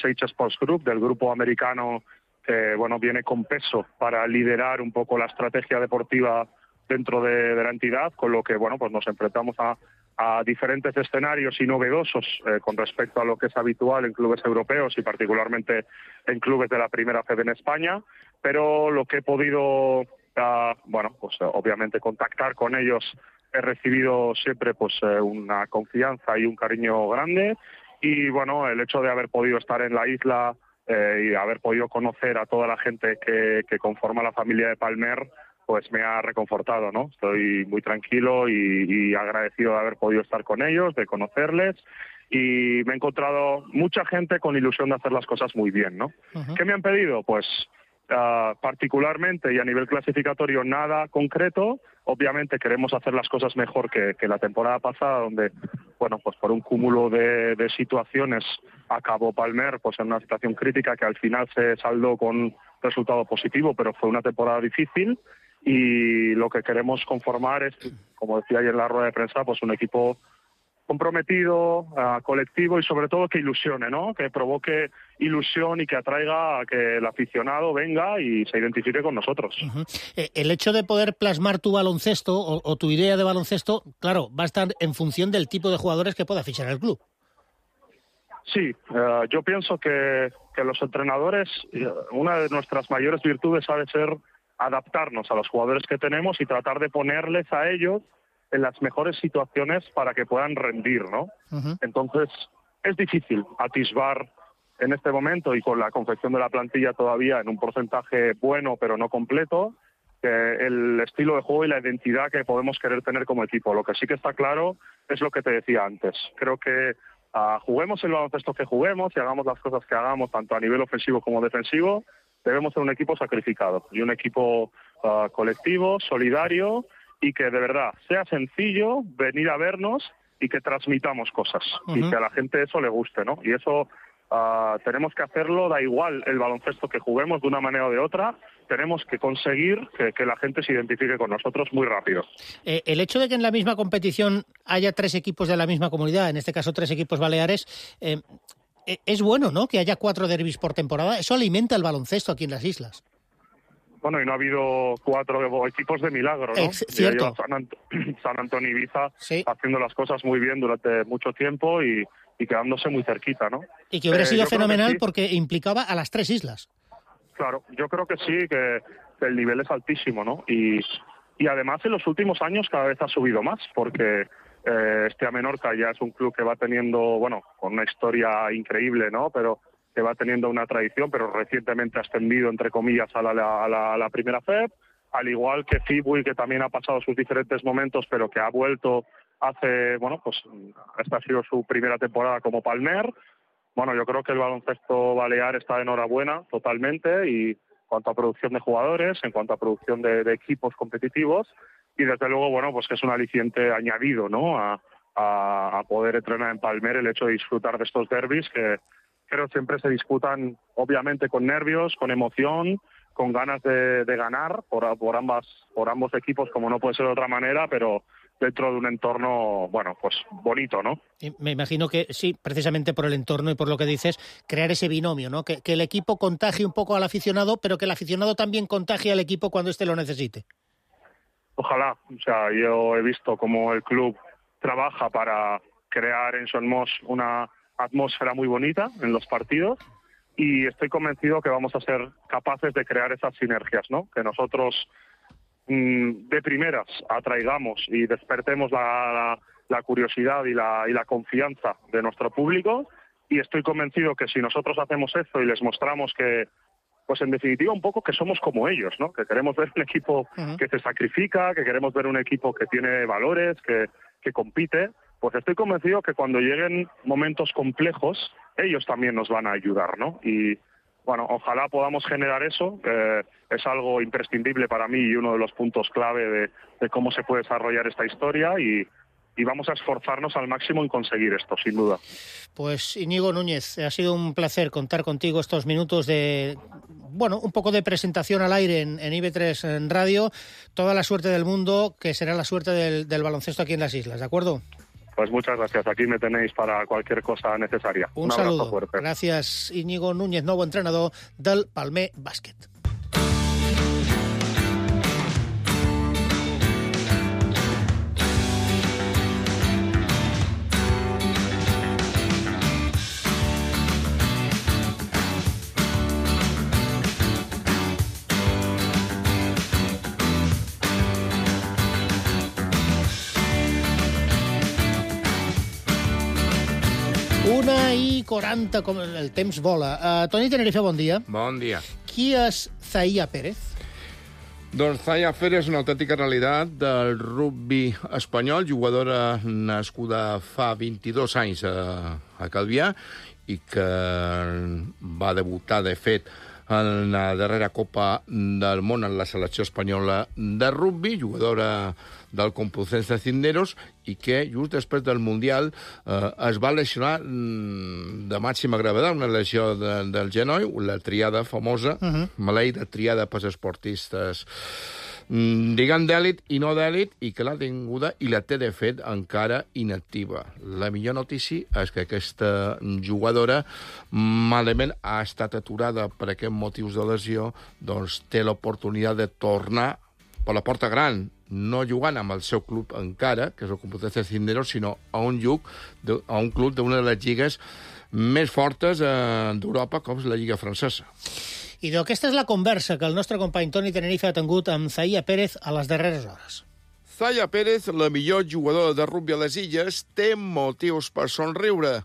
Sage Sports Group, del grupo americano que viene con peso para liderar un poco la estrategia deportiva dentro de la entidad, con lo que pues nos enfrentamos a diferentes escenarios y novedosos con respecto a lo que es habitual en clubes europeos y particularmente en clubes de la primera FED en España, pero lo que he podido obviamente contactar con ellos, he recibido siempre una confianza y un cariño grande. Y el hecho de haber podido estar en la isla y haber podido conocer a toda la gente que conforma la familia de Palmer, pues me ha reconfortado, ¿no? Estoy muy tranquilo y agradecido de haber podido estar con ellos, de conocerles, y me he encontrado mucha gente con ilusión de hacer las cosas muy bien, ¿no? ¿Qué me han pedido? Pues particularmente y a nivel clasificatorio nada concreto. Obviamente queremos hacer las cosas mejor que la temporada pasada, donde pues por un cúmulo de situaciones acabó Palmer en una situación crítica que al final se saldó con resultado positivo, pero fue una temporada difícil, y lo que queremos conformar es, como decía ayer en la rueda de prensa, un equipo comprometido, colectivo y sobre todo que ilusione, ¿no? Que provoque ilusión y que atraiga a que el aficionado venga y se identifique con nosotros. El hecho de poder plasmar tu baloncesto o tu idea de baloncesto, claro, va a estar en función del tipo de jugadores que pueda fichar el club. Sí, yo pienso que los entrenadores, una de nuestras mayores virtudes ha de ser adaptarnos a los jugadores que tenemos y tratar de ponerles a ellos en las mejores situaciones para que puedan rendir, ¿no? Entonces, es difícil atisbar en este momento y con la confección de la plantilla todavía en un porcentaje bueno pero no completo, el estilo de juego y la identidad que podemos querer tener como equipo. Lo que sí que está claro es lo que te decía antes. Creo que juguemos el baloncesto que juguemos y hagamos las cosas que hagamos, tanto a nivel ofensivo como defensivo, debemos ser un equipo sacrificado y un equipo colectivo, solidario, y que de verdad sea sencillo venir a vernos y que transmitamos cosas y que a la gente eso le guste, ¿no? Y eso tenemos que hacerlo, da igual el baloncesto que juguemos de una manera o de otra, tenemos que conseguir que la gente se identifique con nosotros muy rápido. El hecho de que en la misma competición haya 3 equipos de la misma comunidad, en este caso 3 equipos baleares, es bueno, ¿no? Que haya 4 derbis por temporada, eso alimenta el baloncesto aquí en las islas. Bueno, y no ha habido 4 equipos de milagro, ¿no? Cierto. San Antonio y Ibiza sí, haciendo las cosas muy bien durante mucho tiempo y quedándose muy cerquita, ¿no? Y que hubiera sido fenomenal porque implicaba a las 3 islas. Claro, yo creo que sí, que el nivel es altísimo, ¿no? Y además en los últimos años cada vez ha subido más, porque Estia Menorca ya es un club que va teniendo, con una historia increíble, ¿no? Pero que va teniendo una tradición, pero recientemente ha ascendido, entre comillas, a la primera FEB, al igual que Fibui, que también ha pasado sus diferentes momentos, pero que ha vuelto hace, esta ha sido su primera temporada como Palmer. bueno, yo creo que el baloncesto balear está de enhorabuena totalmente, y en cuanto a producción de jugadores, en cuanto a producción de equipos competitivos, y desde luego, bueno, pues que es un aliciente añadido, ¿no?, a poder entrenar en Palmer, el hecho de disfrutar de estos derbis que creo siempre se disputan, obviamente, con nervios, con emoción, con ganas de ganar por ambos equipos, como no puede ser de otra manera, pero dentro de un entorno, bueno, pues bonito, ¿no? Y me imagino que sí, precisamente por el entorno y por lo que dices, crear ese binomio, ¿no? Que el equipo contagie un poco al aficionado, pero que el aficionado también contagie al equipo cuando éste lo necesite. Ojalá. O sea, yo he visto cómo el club trabaja para crear en Son Moix una atmósfera muy bonita en los partidos, y estoy convencido que vamos a ser capaces de crear esas sinergias, ¿no? Que nosotros de primeras atraigamos y despertemos la curiosidad y la confianza de nuestro público, y estoy convencido que si nosotros hacemos eso y les mostramos que, pues en definitiva un poco que somos como ellos, ¿no? Que queremos ver un equipo que se sacrifica, que queremos ver un equipo que tiene valores, que compite, pues estoy convencido que cuando lleguen momentos complejos, ellos también nos van a ayudar, ¿no? Y bueno, ojalá podamos generar eso. Es algo imprescindible para mí y uno de los puntos clave de cómo se puede desarrollar esta historia, y vamos a esforzarnos al máximo en conseguir esto, sin duda. Pues Íñigo Núñez, ha sido un placer contar contigo estos minutos de, bueno, un poco de presentación al aire en IB3 en Radio. Toda la suerte del mundo, que será la suerte del baloncesto aquí en las islas, ¿de acuerdo? Pues muchas gracias. Aquí me tenéis para cualquier cosa necesaria. Un abrazo saludo. fuerte. Gràcies, Íñigo Núñez, nou entrenador del Palmer Bàsquet. Una i 40, com el temps vola. Toni Tenerife, bon dia. Bon dia. Qui és Zahia Pérez? Doncs Zahia Pérez és una autèntica realitat del rugby espanyol, jugadora nascuda fa 22 anys a Calvià i que va debutar, de fet, en la darrera Copa del Món en la selecció espanyola de rugby, jugadora del Complutense Cisneros, i que just després del Mundial es va lesionar de màxima gravetat, una lesió del genoll, la triada famosa, maleïda triada pels esportistes, diguem d'èlit i no d'èlit, i que l'ha tinguda i la té, de fet, encara inactiva. La millor notícia és que aquesta jugadora, malament ha estat aturada per aquests motius de lesió, doncs té l'oportunitat de tornar per la porta gran, no jugant amb el seu club encara, que és el Complutense Cisneros, sinó a un club d'una de les lligues més fortes d'Europa, com és la Lliga Francesa. I aquesta és la conversa que el nostre company Toni Tenerife ha tingut amb Zahia Pérez a les darreres hores. Zahia Pérez, la millor jugadora de rugby a les illes, té motius per somriure.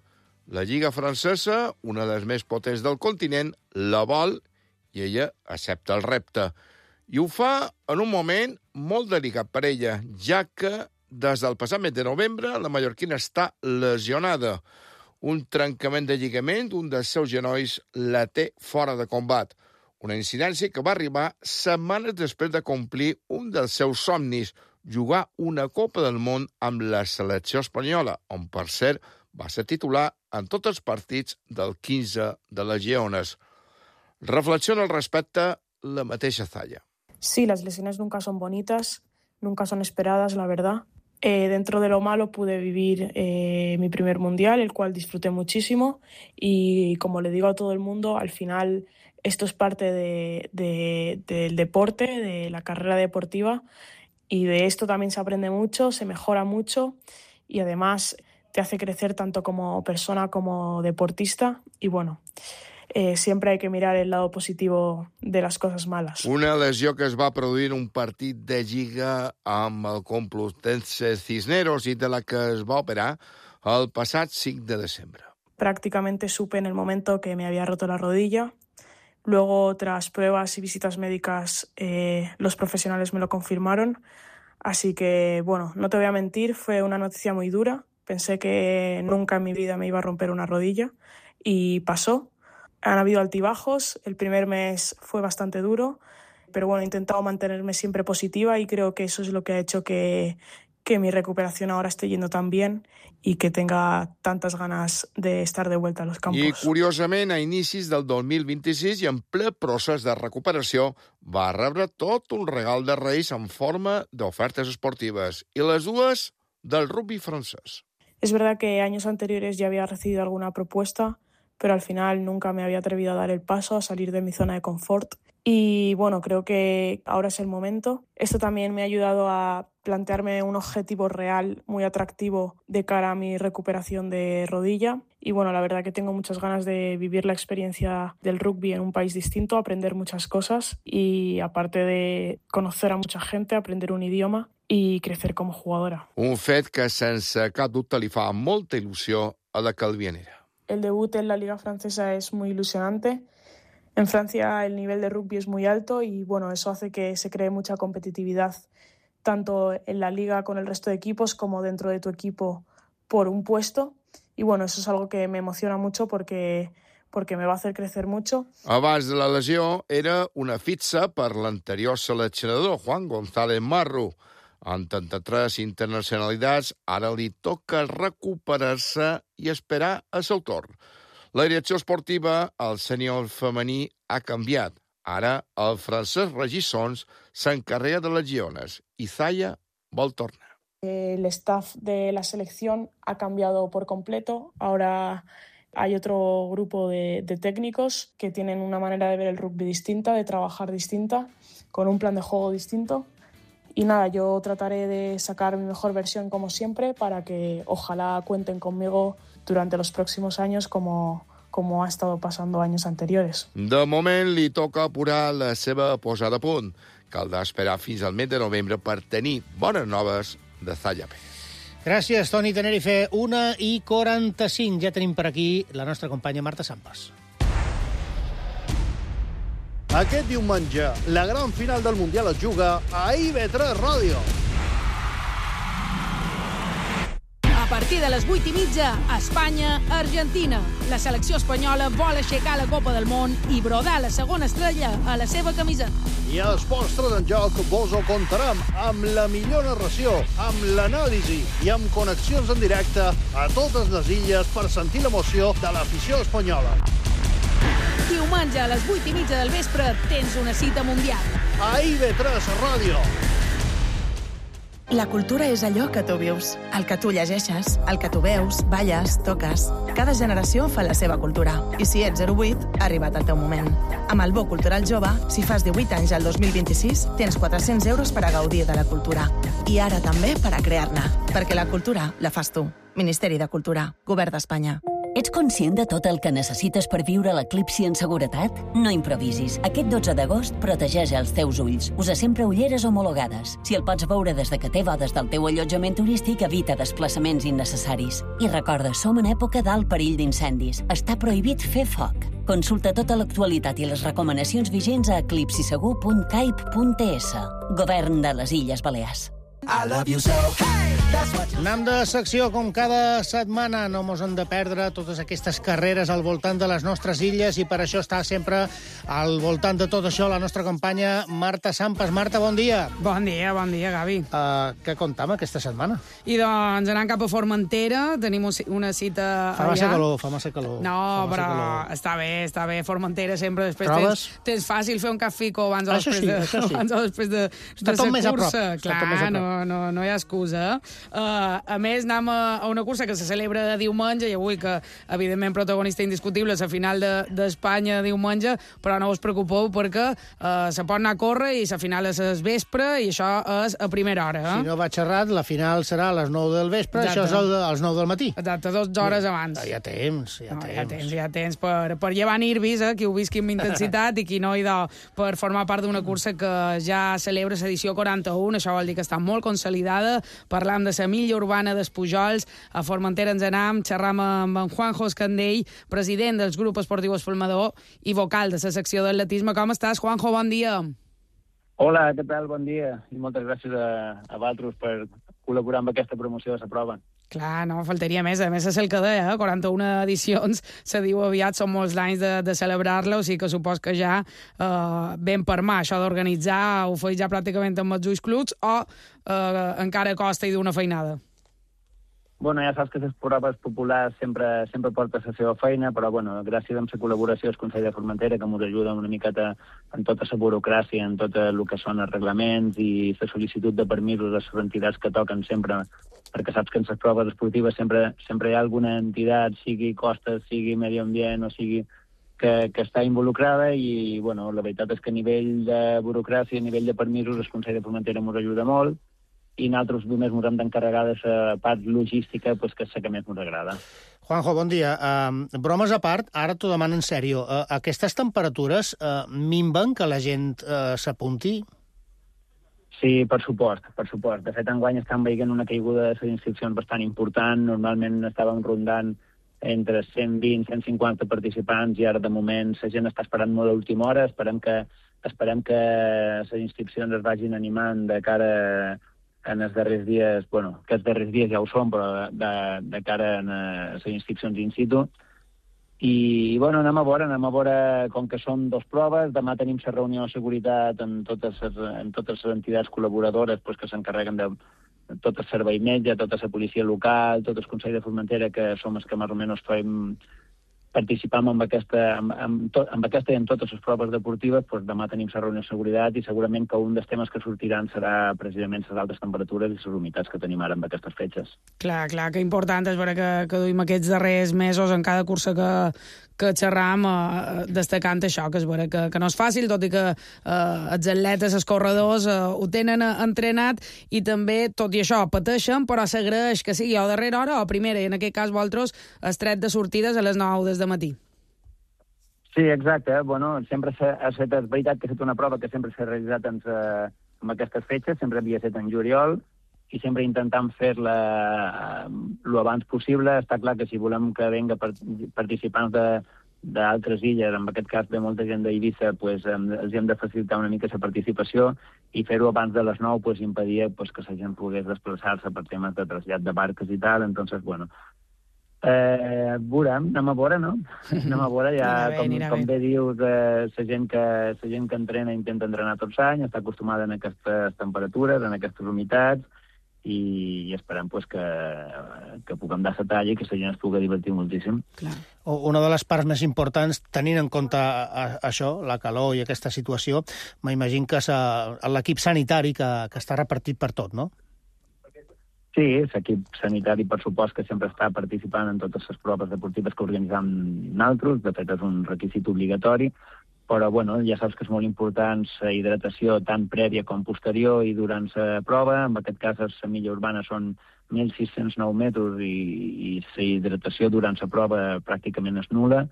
La Lliga Francesa, una de les més potents del continent, la vol i ella accepta el repte. I ho fa en un moment molt delicat per ella, ja que des del passat mes de novembre la mallorquina està lesionada. Un trencament de lligament d'un dels seus genolls la té fora de combat. Una incidència que va arribar setmanes després de complir un dels seus somnis, jugar una Copa del Món amb la selecció espanyola, on, per cert, va ser titular en tots els partits del 15 de les Lleones. Reflexiona al respecte la mateixa Zahia. Sí, las lesiones nunca son bonitas, nunca son esperadas, la verdad. Dentro de lo malo pude vivir mi primer mundial, el cual disfruté muchísimo, y como le digo a todo el mundo, al final esto es parte del deporte, de la carrera deportiva, y de esto también se aprende mucho, se mejora mucho y además te hace crecer tanto como persona como deportista, y bueno, siempre hay que mirar el lado positivo de las cosas malas. Una lesió que es va produir en un partit de lliga amb el Complutense Cisneros i de la que es va operar el passat 5 de desembre. Prácticamente supe en el momento que me había roto la rodilla. Luego, tras pruebas y visitas médicas, los profesionales me lo confirmaron. Así que, bueno, no te voy a mentir, fue una noticia muy dura. Pensé que nunca en mi vida me iba a romper una rodilla. y pasó. Han habido altibajos, el primer mes fue bastante duro, pero bueno, he intentado mantenerme siempre positiva y creo que eso es lo que ha hecho que mi recuperación ahora esté yendo tan bien i que tenga tantes ganes d'estar de vuelta a los campos. I, curiosament, a inicis del 2026 i en ple procés de recuperació, va rebre tot un regal de Reis en forma d'ofertes esportives, i les dues del rugby francès. Es verdad que años anteriores ya había recibido alguna propuesta, pero al final nunca me había atrevido a dar el paso, a salir de mi zona de confort. Y bueno, creo que ahora es el momento. Esto también me ha ayudado a plantearme un objetivo real muy atractivo de cara a mi recuperación de rodilla. Y bueno, la verdad que tengo muchas ganas de vivir la experiencia del rugby en un país distinto, aprender muchas cosas y aparte de conocer a mucha gente, aprender un idioma y crecer como jugadora. Un fet que sense cap dubte li fa molta il·lusió a la calvianera. El debut en la Liga Francesa es muy ilusionante. En Francia el nivel de rugby es muy alto y bueno, eso hace que se cree mucha competitividad tanto en la liga con el resto de equipos como dentro de tu equipo por un puesto. Y bueno, eso es algo que me emociona mucho porque me va a hacer crecer mucho. Abans de la lesió era una fitxa per l'anterior seleccionador, Juan González Marro. En 33 internacionalitats, ara li toca recuperar-se i esperar el seu torn. La direcció esportiva al sènior femení ha canviat. Ara el Francesc Regissons s'encarrega de les lleones i Zaya vol tornar. El staff de la selección ha cambiado por completo. Ahora hay otro grupo de técnicos que tienen una manera de ver el rugby distinta, de trabajar distinta, con un plan de juego distinto. Y nada, yo trataré de sacar mi mejor versión como siempre para que ojalá cuenten conmigo durante los próximos años como ha estado pasando años anteriores. De moment li toca apurar la seva posada a punt. Caldrà esperar fins al mes de novembre per tenir bones noves de Zaya Pérez. Gràcies, Toni Tenerife. 1:45. Ja tenim per aquí la nostra companya Marta Sampas. Aquest diumenge, la gran final del Mundial es juga a IB3 Ràdio. A partir de les 8:30, Espanya-Argentina. La selecció espanyola vol aixecar la Copa del Món i brodar la segona estrella a la seva camisa. I a Esports en Joc vos ho contarem amb la millor narració, amb l'anàlisi i amb connexions en directe a totes les illes per sentir l'emoció de l'afició espanyola. Diumenge a les 8:30 del vespre tens una cita mundial. A IB3 Ràdio. La cultura és allò que tu vius, el que tu llegeixes, el que tu veus, balles, toques. Cada generació fa la seva cultura. I si ets 08, ha arribat el teu moment. Amb el Bo Cultural Jove, si fas 18 anys al 2026, tens 400 euros per a gaudir de la cultura. I ara també per a crear-ne. Perquè la cultura la fas tu. Ministeri de Cultura, Govern d'Espanya. Ets conscient de tot el que necessites per viure l'eclipsi en seguretat? No improvisis. Aquest 12 d'agost protegeix els teus ulls. Usa sempre ulleres homologades. Si el pots veure des de que té bodes del teu allotjament turístic, evita desplaçaments innecessaris. I recorda, som en època d'alt perill d'incendis. Està prohibit fer foc. Consulta tota l'actualitat i les recomanacions vigents a eclipsisegur.caip.es. Govern de les Illes Balears. I love you so. Anem de secció com cada setmana. No mos hem de perdre totes aquestes carreres al voltant de les nostres illes i per això està sempre al voltant de tot això la nostra companya Marta Sampas. Marta, bon dia. Bon dia, Gavi. Què comptam aquesta setmana? I doncs anant cap a Formentera, tenim una cita allà. Fa massa calor. No, però està bé. Formentera sempre després tens fàcil fer un cafico abans o després de la cursa. Clar, no hi ha excusa. A més, anem a una cursa que se celebra de diumenge i avui que, evidentment, protagonista indiscutible és la final d'Espanya diumenge, però no us preocupeu perquè se pot anar a córrer i la final és al vespre i això és a primera hora. Si no vaig errat, la final serà a les 9 del vespre, això és als 9 del matí. Exacte, 2 hores abans. Hi ha temps. Hi ha temps per llevar nervis, qui ho visqui amb intensitat i qui no, per formar part d'una cursa que ja celebra l'edició 41, això vol dir que està molt consolidada. Parlam de la milla urbana d'Espujols. A Formentera ens anem, xerram amb en Juanjo Escandell, president del grup esportiu Espalmador i vocal de la secció d'atletisme. Com estàs, Juanjo? Bon dia. Hola, què tal? Bon dia. I moltes gràcies a vosaltres per col·laborar amb aquesta promoció de la prova. Clar, no, faltaria més. A més, és el que deia, 41 edicions, se diu aviat, són molts anys de celebrar-la, o sigui que supos que ja ben per mà, això d'organitzar, ho feia ja pràcticament amb els ulls clucs, o encara costa i d'una feinada? Bueno, ja saps que les proves populars sempre porten la seva feina, però bueno, gràcies a la col·laboració del Consell de Formentera, que ens ajuda una miqueta en tota la burocràcia, en tot el que són els reglaments i la sol·licitud de permisos a les entitats que toquen sempre, perquè saps que en les proves esportives sempre hi ha alguna entitat, sigui costes, sigui medi ambient, o sigui que està involucrada, i bueno, la veritat és que a nivell de burocràcia, a nivell de permisos, el Consell de Formentera ens ajuda molt, i nosaltres només ens hem d'encarregar de la part logística, que és la que més ens agrada. Juanjo, bon dia. Bromes a part, ara t'ho demano en sèrio. Aquestes temperatures minven que la gent s'apunti? Sí, per supost. De fet, enguany estem veient una caiguda de les inscripcions bastant important. Normalment estàvem rondant entre 120 i 150 participants, i ara, de moment, la gent està esperant molt a última hora. Esperem que les inscripcions es vagin animant de cara en els darrers dies, bueno, que els darrers dies ja ho són, però de cara a les inscripcions in situ. I, bueno, anem a veure, com que són 2 proves, demà tenim la reunió de seguretat amb totes les entitats col·laboradores que s'encarreguen de tot el servei metge, tota la policia local, tot el Consell de Formentera, que som els que més o menys participam amb aquesta i en totes les proves deportives. Demà tenim la reunió de seguretat, i segurament que un dels temes que sortiran serà precisament les altes temperatures i les humitats que tenim ara amb aquestes fetges. Clar, que important és veure que duim aquests darrers mesos en cada cursa que xerram, destacant això, que és veure que no és fàcil, tot i que els atletes, els corredors, ho tenen entrenat, i també, tot i això, pateixen, però s'agraeix que sigui a darrera hora o a primera, i en aquest cas vosaltres el tret de sortides a les 9 des de matí. Sí, exacte. Bueno, sempre ha estat, és veritat que ha estat una prova que sempre s'ha realitzat amb aquestes fetges, sempre havia estat en juliol, i sempre intentam fer-la l'abans possible. Està clar que si volem que venga participants d'altres illes, en aquest cas de molta gent d'Eivissa, els hem de facilitar una mica la participació, i fer-ho abans de les 9 impedia que la gent pogués desplaçar-se per temes de trasllat de barques i tal. Entonces, bueno, anem a veure, no? Anem a veure, ja, com bé dius, la gent que entrena intenta entrenar tots els anys, està acostumada a aquestes temperatures, a aquestes humitats, i esperem que puguem dar la talla i que la gent es pugui divertir moltíssim. Una de les parts més importants, tenint en compte això, la calor i aquesta situació, m'imagino que és l'equip sanitari que està repartit per tot, no? Sí, l'equip sanitari, per supost, que sempre està participant en totes les proves deportives que organitzam nosaltres. De fet, és un requisit obligatori, però bueno, ja saps que és molt important la hidratació tant prèvia com posterior i durant la prova. En aquest cas, la milla urbana són 1.609 metres i la hidratació durant la prova pràcticament és nul·la,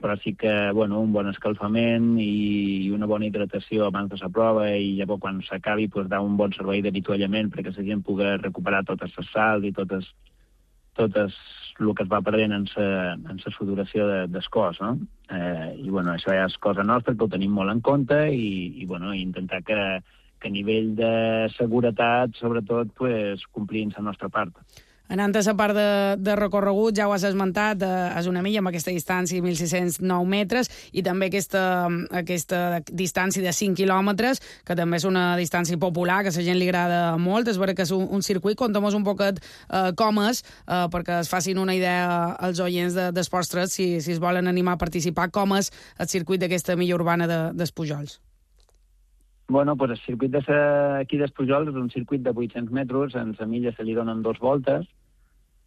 però sí que un bon escalfament i una bona hidratació abans de la prova, i llavors quan s'acabi dar un bon servei d'avituallament perquè la gent pugui recuperar totes les sals i totes el que es va perdent en la sudoració del cos, no? I això ja és cosa nostra, que ho tenim molt en compte, i intentar que a nivell de seguretat, sobretot, complim la nostra part. Anant a la part de recorregut, ja ho has esmentat, és una milla amb aquesta distància de 1.609 metres, i també aquesta distància de 5 quilòmetres, que també és una distància popular, que a la gent li agrada molt. És vera que és un circuit, contem-nos un poquet com és, perquè es facin una idea als oients d'Esports 3, si es volen animar a participar, com és el circuit d'aquesta milla urbana dels Pujols. Bueno, el circuit d'aquí dels Pujols és un circuit de 800 metres, en la milla se li donen 2 voltes,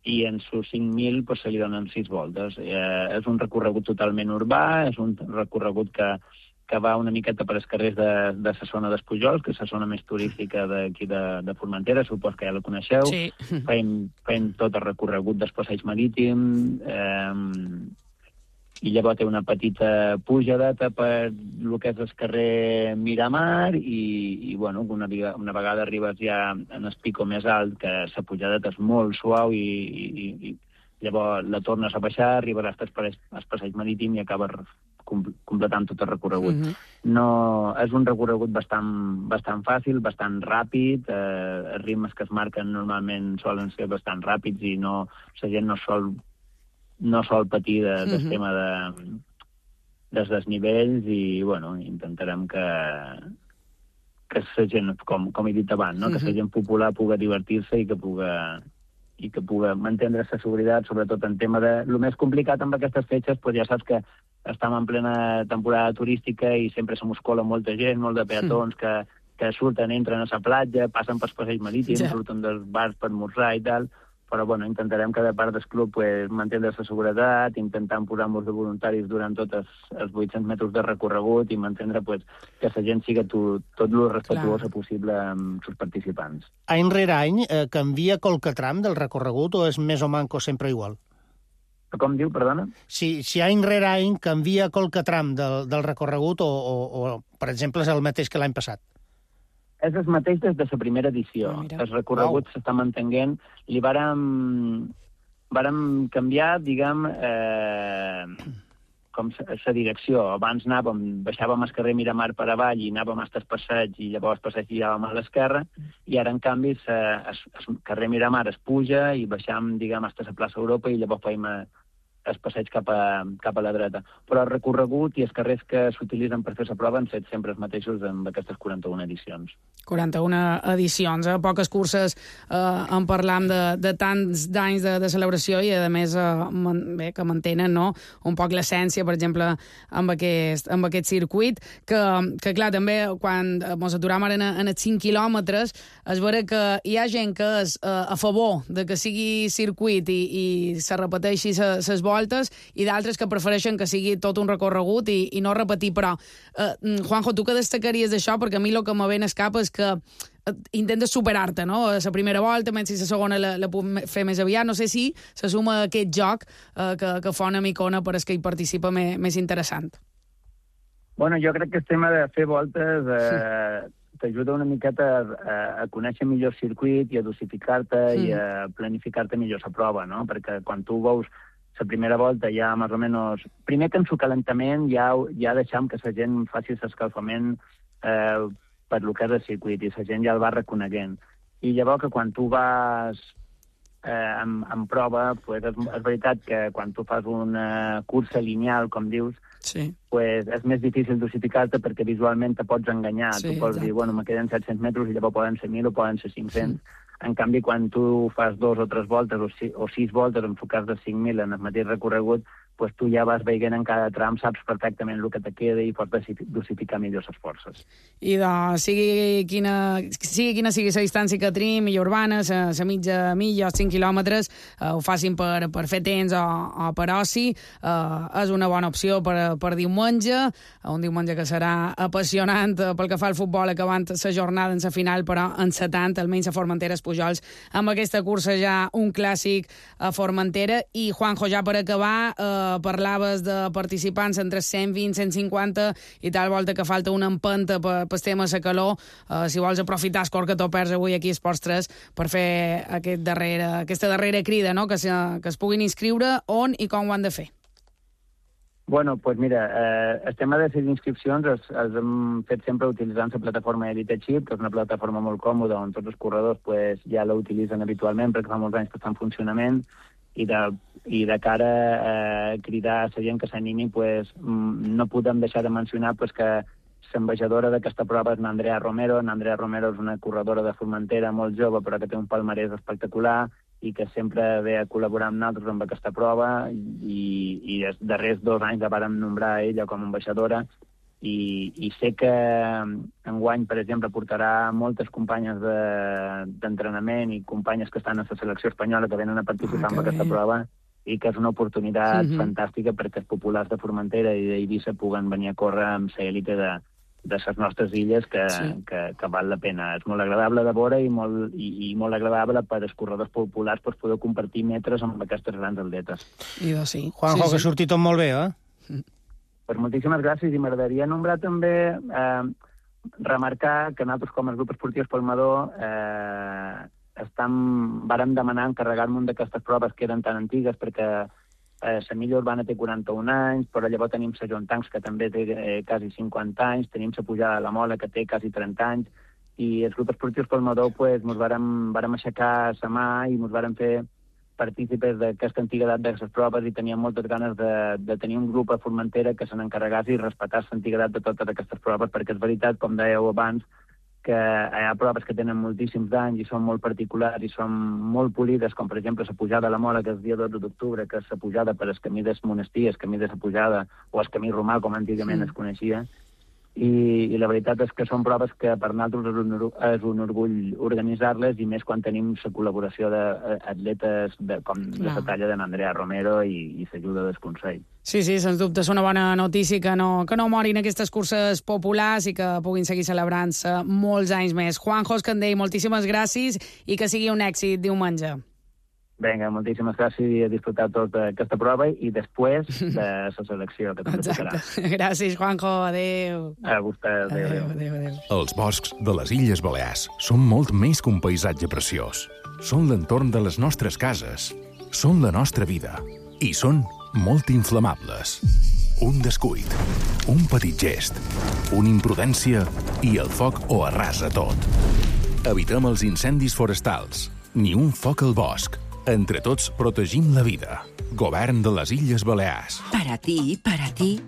i en sus 5.000 se li donen 6 voltes. És un recorregut totalment urbà, és un recorregut que va una miqueta per els carrers de la zona dels Pujols, que és la zona més turística d'aquí de Formentera, supos que ja la coneixeu. Sí. Fem tot el recorregut del passeig marítim, i llavors té una petita pujadeta per el que és el carrer Miramar, i una vegada arribes ja en el pico més alt, que la pujadeta és molt suau i llavors la tornes a baixar, arribaràs al passeig marítim i acabes completant tot el recorregut. No, és un recorregut bastant fàcil, bastant ràpid, els ritmes que es marquen normalment solen ser bastant ràpids i la gent no sol patir del tema dels desnivells i, bueno, intentarem que la gent, com he dit abans, no? Que la gent popular pugui divertir-se i que pugui mantenir la seguretat, sobretot en tema de... El més complicat amb aquestes fetges, ja saps que estem en plena temporada turística i sempre se muscola molta gent, molt de peatons que surten, entren a la platja, passen pels passeig marítims, surten dels bars per esmorzar i tal, però bueno, intentarem que de part del club mantenir la seguretat, intentant posar-nos de voluntaris durant tots els 800 metres de recorregut i mantenir que la gent sigui tot el respectuosa possible amb els participants. Any rere any canvia qualque tram del recorregut o és més o manco sempre igual? Com diu, perdona? Si any rere any canvia qualque tram del recorregut o, per exemple, és el mateix que l'any passat? És el mateix des de la primera edició. El recorregut s'està mantenint. Li vàrem canviar, diguem, com la direcció. Abans baixàvem el carrer Miramar per avall i anàvem fins al passeig i llavors el passeig giràvem a l'esquerra i ara, en canvi, el carrer Miramar es puja i baixam, diguem, fins a la plaça Europa i llavors feim el passeig cap a la dreta. Però el recorregut i els carrers que s'utilitzen per fer la prova han set sempre els mateixos amb aquestes 41 edicions. 41 edicions, poques curses en parlam de tants d'anys de celebració i, a més, que mantenen un poc l'essència, per exemple, amb aquest circuit, que clar, també, quan ens aturam ara en els 5 quilòmetres, es veurà que hi ha gent que és a favor de que sigui circuit i se repeteixi ses voltes i d'altres que prefereixen que sigui tot un recorregut i no repetir, però Juanjo, tu què destacaries d'això? Perquè a mi el que me ve en el cap és que intentes superar-te, no? La primera volta, menys si la segona la puc fer més aviat. No sé si se suma aquest joc que fa una micona per als que hi participa més interessant. Bueno, jo crec que el tema de fer voltes t'ajuda una miqueta a conèixer millor el circuit i a dosificar-te i a planificar-te millor la prova, no? Perquè quan tu veus la primera volta ja més o menys... Primer que en su calentament ja deixam que la gent faci l'escalfament per lo que és el circuit i la gent ja el va reconeguent. I llavors que quan tu vas en prova, és veritat que quan tu fas una cursa lineal, com dius, és més difícil dosificar-te perquè visualment te pots enganyar. Tu pots dir, bueno, me queden 700 metres i llavors poden ser 1.000 o poden ser 500. En canvi, quan tu fas 2 o 3 voltes o 6 voltes enfocats de 5.000 en el mateix recorregut, doncs tu ja vas veient en cada tram, saps perfectament el que te queda i pots dosificar millor les forces. I sigui quina sigui la distància que tenim, milla urbana, la mitja milla, els 5 quilòmetres, ho facin per fer temps o per oci, és una bona opció per diumenge, un diumenge que serà apassionant pel que fa al futbol, acabant la jornada en la final, però en 70, almenys a Formentera, Pujols, amb aquesta cursa ja un clàssic a Formentera. I, Juanjo, ja per acabar, parlaves de participants entre 120 i 150 i tal volta que falta una empenta pel tema de la calor. Si vols aprofitar el cor que t'ho perds avui aquí a Esports 3 per fer aquesta darrera crida, no? que es puguin inscriure, on i com ho han de fer. Bueno, pues mira, el tema de les inscripcions els hem fet sempre utilitzant la plataforma EliteChip, que és una plataforma molt còmoda on tots els corredors ja la utilitzen habitualment perquè fa molts anys que està en funcionament i de cara a cridar a la gent que s'animi, no podem deixar de mencionar que l'ambaixadora d'aquesta prova és n'Andrea Romero. N'Andrea Romero és una corredora de Formentera molt jove però que té un palmarès espectacular i que sempre ve a col·laborar amb nosaltres amb aquesta prova i els darrers 2 anys la vàrem nombrar ella com a ambaixadora i sé que enguany, per exemple, portarà moltes companyes d'entrenament i companyes que estan a la selecció espanyola que venen a participar en aquesta prova i que és una oportunitat fantàstica perquè els populars de Formentera i d'Eivissa puguen venir a córrer amb l'elite de les nostres illes que val la pena. És molt agradable de veure i molt agradable per als corredors populars poder compartir metres amb aquestes grans atletes. Juanjo, que surti tot molt bé, Pues moltíssimes gràcies i m'agradaria nombrar també remarcar que nosaltres com a grup esportiu Espolmador vàrem demanar encarregar-nos d'aquestes proves que eren tan antigues, perquè la milla urbana té 41 anys, però llavors tenim la Jontancs, que també té quasi 50 anys, tenim la pujada de la Mola, que té quasi 30 anys, i els grups esportius pel Madó ens vàrem aixecar la mà i ens vàrem fer partícipes d'aquesta antiga edat d'aquestes proves i teníem moltes ganes de tenir un grup a Formentera que se n'encarregàs i respectar l'antiga edat de totes aquestes proves, perquè és veritat, com dèieu abans, que hi ha proves que tenen moltíssims anys i són molt particulars i són molt polides, com per exemple la pujada a la Mola, que és el dia 12 d'octubre, que és la pujada per el camí del monestir, el camí de la pujada, o el camí romà, com antigament es coneixia. I la veritat és que són proves que per nosaltres és un orgull organitzar-les, i més quan tenim la col·laboració d'atletes com la talla d'en Andrea Romero i l'ajuda del Consell. Sí, sens dubte és una bona notícia que no morin aquestes curses populars i que puguin seguir celebrant-se molts anys més. Juanjo Escandell, moltíssimes gràcies i que sigui un èxit diumenge. Vinga, moltíssimes gràcies i a disfrutar tota aquesta prova i després de la selecció, que també tocarà. Gràcies, Juanjo. Adéu. A vostè, adéu. Els boscs de les Illes Balears són molt més que un paisatge preciós. Són l'entorn de les nostres cases, són la nostra vida i són molt inflamables. Un descuit, un petit gest, una imprudència i el foc ho arrasa tot. Evitem els incendis forestals, ni un foc al bosc. Entre tots protegim la vida. Govern de las Illes Baleares. Para ti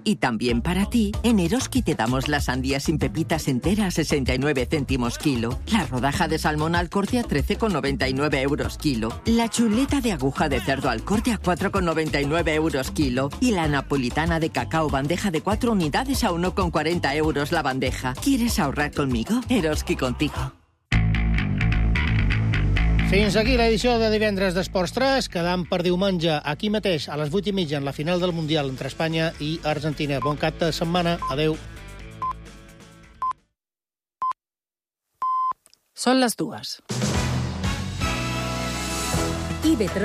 y también para ti, en Eroski te damos la sandía sin pepitas entera a 69 céntimos kilo, la rodaja de salmón al corte a 13,99 euros kilo, la chuleta de aguja de cerdo al corte a 4,99 euros kilo y la napolitana de cacao bandeja de 4 unidades a 1,40 euros la bandeja. ¿Quieres ahorrar conmigo? Eroski contigo. Fins aquí l'edició de divendres d'Esports 3, quedant per diumenge aquí mateix a les 8:30 en la final del Mundial entre Espanya i Argentina. Bon cap de setmana. Adéu. Són les 2.